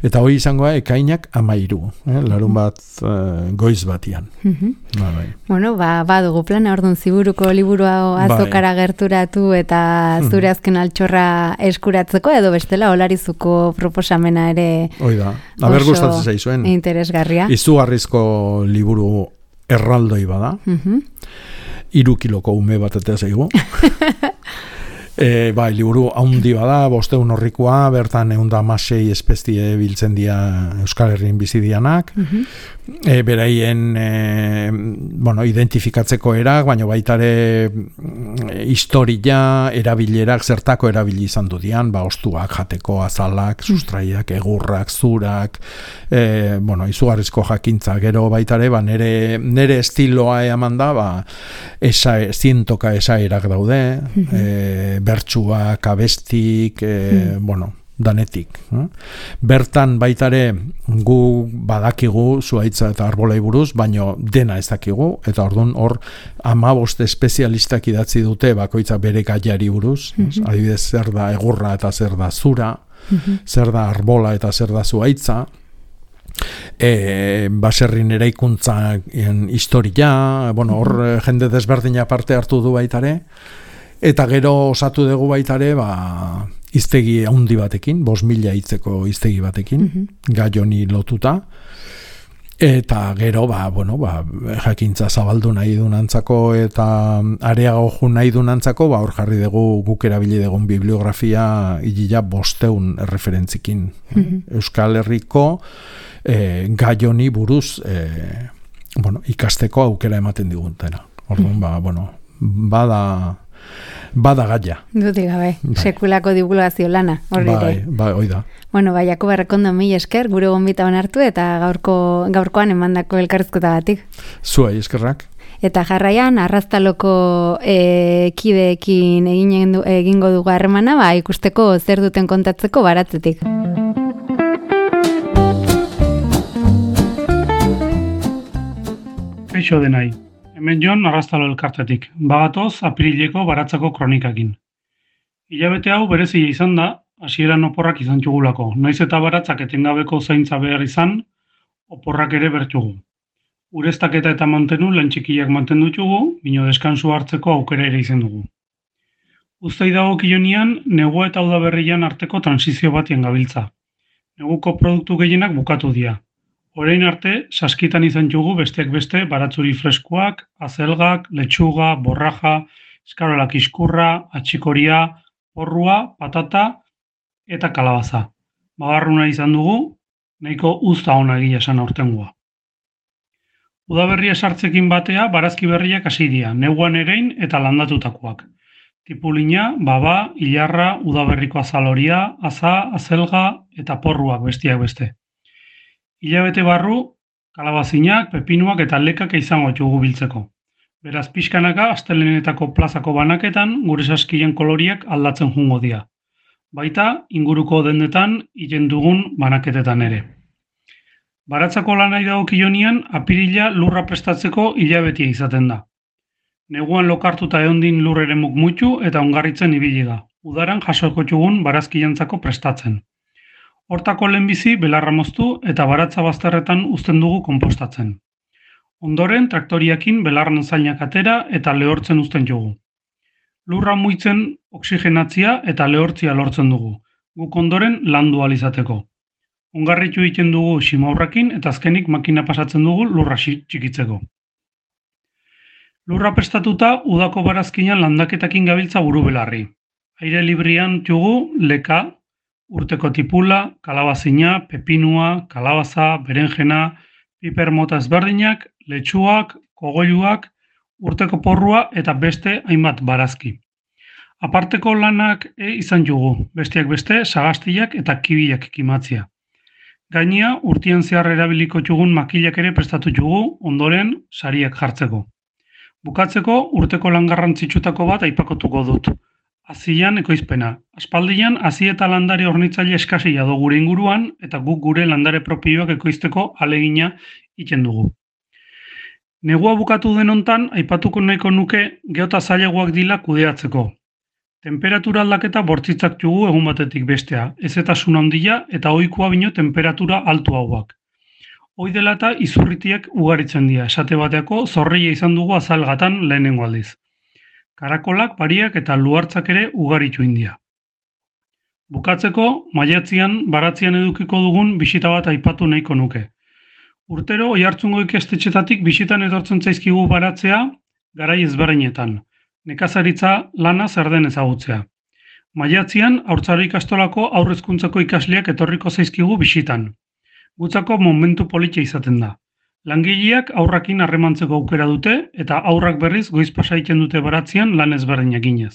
eta hori izangoa ekainak amairu, eh? larun bat e, goiz batian. Mm-hmm. Ba, bai. Bueno, ba, badugu plana, orduan ziburuko liburu azokara bai. gerturatu eta zure azken altxorra eskuratzeko, edo bestela olarizuko proposamena ere hoi da, haber gustatzen zaizuen. Interesgarria. Izugarrizko liburu erraldoi bada, mm-hmm. iru kiloko ume bat eta zaigu. E, bai, liburu haundi bada, bosteun horrikoa, bertan eunda amasei espezie biltzen dira Euskal Herrian bizidianak, uh-huh. e, beraien e, bueno, identifikatzeko erak, baina baitare e, historia, erabilerak, zertako erabili izan du dian, ba, ostuak, jateko, azalak, sustraiak, egurrak, zurak, e, bueno, izugarrizko jakintza, gero baitare, ba, nere, nere estiloa eman da, ba, esa, zientoka esaerak daude, uh-huh. e, bertsuak, abestik, e, hmm. bueno, danetik. Eh? Bertan baitare gu badakigu zuaitza eta arbolei buruz, baino dena ez dakigu, eta orduan hor hamabost espezialistak idatzi dute bakoitza bere gaiari buruz, hmm. adibidez zer da egurra eta zer da zura, hmm. zer da arbola eta zer da zuaitza, E, baserrin eraikuntzan historia, bueno, hor hmm. jende desberdina parte hartu du baitare, eta gero osatu dugu baitare, ba, iztegi handi batekin, bost mila hitzeko iztegi batekin, mm-hmm. gai honi lotuta, eta gero, ba, bueno, ba, jakintza zabaldu nahi dunantzako eta areago ju nahi dunantzako, ba, hor jarri dugu guk erabili dugun bibliografia hilila bosteun referentzikin. Mm-hmm. Euskal Herriko e, gai honi buruz e, bueno, ikasteko aukera ematen digutena. Orduan, mm-hmm. ba, bueno, bada bada gaia. Dudik gabe, bai. Sekulako divulgazio lana, horri bai, bai, hoi da. Bueno, bai, Jakob Errekondo mil esker, gure gonbita hartu eta gaurko, gaurkoan emandako elkarrizkotagatik. Zuei eskerrak. Eta jarraian, arraztaloko e, kideekin egin, egingo dugu harremana, ba, ikusteko zer duten kontatzeko baratzetik. Kaixo denai. Hemen Jon arraztalo elkartetik, bagatoz apirileko baratzako kronikakin. Hilabete hau berezia izan da, hasieran oporrak izan txugulako, naiz eta baratzak etengabeko zaintza behar izan, oporrak ere bertxugu. Ureztaketa eta mantenu lan txikiak mantendu txugu, bino deskansu hartzeko aukera ere izan dugu. Uztai dago kionian, negua eta udaberrian arteko transizio batien gabiltza. Neguko produktu gehienak bukatu dira. Orain arte, saskitan izan txugu besteak beste baratzuri freskoak, azelgak, letxuga, borraja, eskarolak iskurra, atxikoria, porrua, patata eta kalabaza. Bagarruna izan dugu, nahiko uzta ona egia esan aurtengoa. Udaberria sartzekin batea barazki berriak hasi dira, neguan erein eta landatutakoak. Tipulina, baba, ilarra, udaberriko azaloria, aza, azelga eta porruak bestiak beste. Hilabete barru, kalabazinak, pepinuak eta lekak izango txugu biltzeko. Beraz pixkanaka, astelenetako plazako banaketan, gure saskien koloriak aldatzen jungo dira. Baita, inguruko dendetan, hilen dugun banaketetan ere. Baratzako lanai dagokionean, apirila lurra prestatzeko hilabetia izaten da. Neguan lokartuta ehondin lur eremuk mutu eta ongarritzen ibili da. Udaran jasoko txugun barazkiantzako prestatzen. Hortako lehenbizi belarra moztu eta baratza bazterretan uzten dugu konpostatzen. Ondoren traktoriakin belarran zainak atera eta lehortzen uzten dugu. Lurra muitzen oksigenatzia eta lehortzia lortzen dugu, guk ondoren landu alizateko. Ongarritu egiten dugu simaurrakin eta azkenik makina pasatzen dugu lurra txikitzeko. Lurra prestatuta udako barazkinan landaketakin gabiltza buru belarri. Aire librian txugu leka, urteko tipula, kalabazina, pepinua, kalabaza, berenjena, piper mota ezberdinak, letxuak, kogoiluak, urteko porrua eta beste hainbat barazki. Aparteko lanak e izan jugu, besteak beste, sagastiak eta kibiak kimatzia. Gainia, urtien zehar erabiliko txugun makilak ere prestatu jugu, ondoren sariak jartzeko. Bukatzeko, urteko lan garrantzitsutako bat aipakotuko dut. Azian ekoizpena. Aspaldian, hazi eta landare hornitzaile eskasia do gure inguruan eta guk gure landare propioak ekoizteko alegina egiten dugu. Negua bukatu denontan, aipatuko nahiko nuke geota zailagoak dila kudeatzeko. Temperatura aldaketa bortzitzak jugu egun batetik bestea, ezetasun handia eta ohikoa bino temperatura altu hauak. Hoi dela eta izurritiak ugaritzen dira, esate bateako zorreia izan dugu azalgatan lehenengo aldiz. Karakolak, pariak eta luartzak ere ugaritu india. Bukatzeko, maiatzian, baratzian edukiko dugun bisita bat aipatu nahiko nuke. Urtero, oihartzungo ikastetxetatik bisitan etortzen zaizkigu baratzea garai ezberdinetan. Nekazaritza lana zer den ezagutzea. Maiatzian, Haurtzaro ikastolako aurrezkuntzako ikasleak etorriko zaizkigu bisitan. Gutzako momentu politia izaten da. Langileak aurrakin harremantzeko aukera dute eta aurrak berriz goiz pasaiten dute baratzean lan ezberdinak ginez.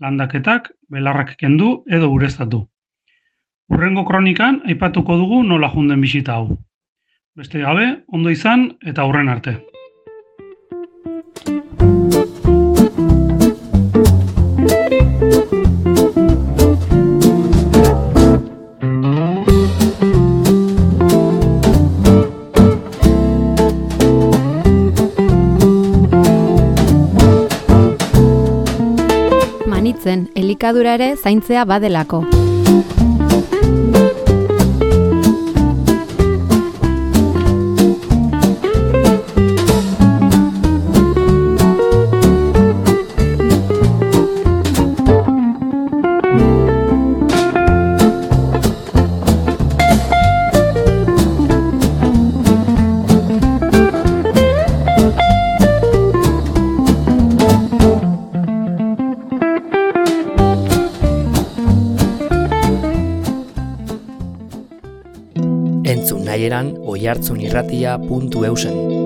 Landaketak, belarrak kendu edo ureztatu. Hurrengo kronikan aipatuko dugu nola junden bisita hau. Beste gabe, ondo izan eta hurren arte. Manitzen, elikadura ere zaintzea badelako. Entzun nahieran oihartzunirratia puntu eusen.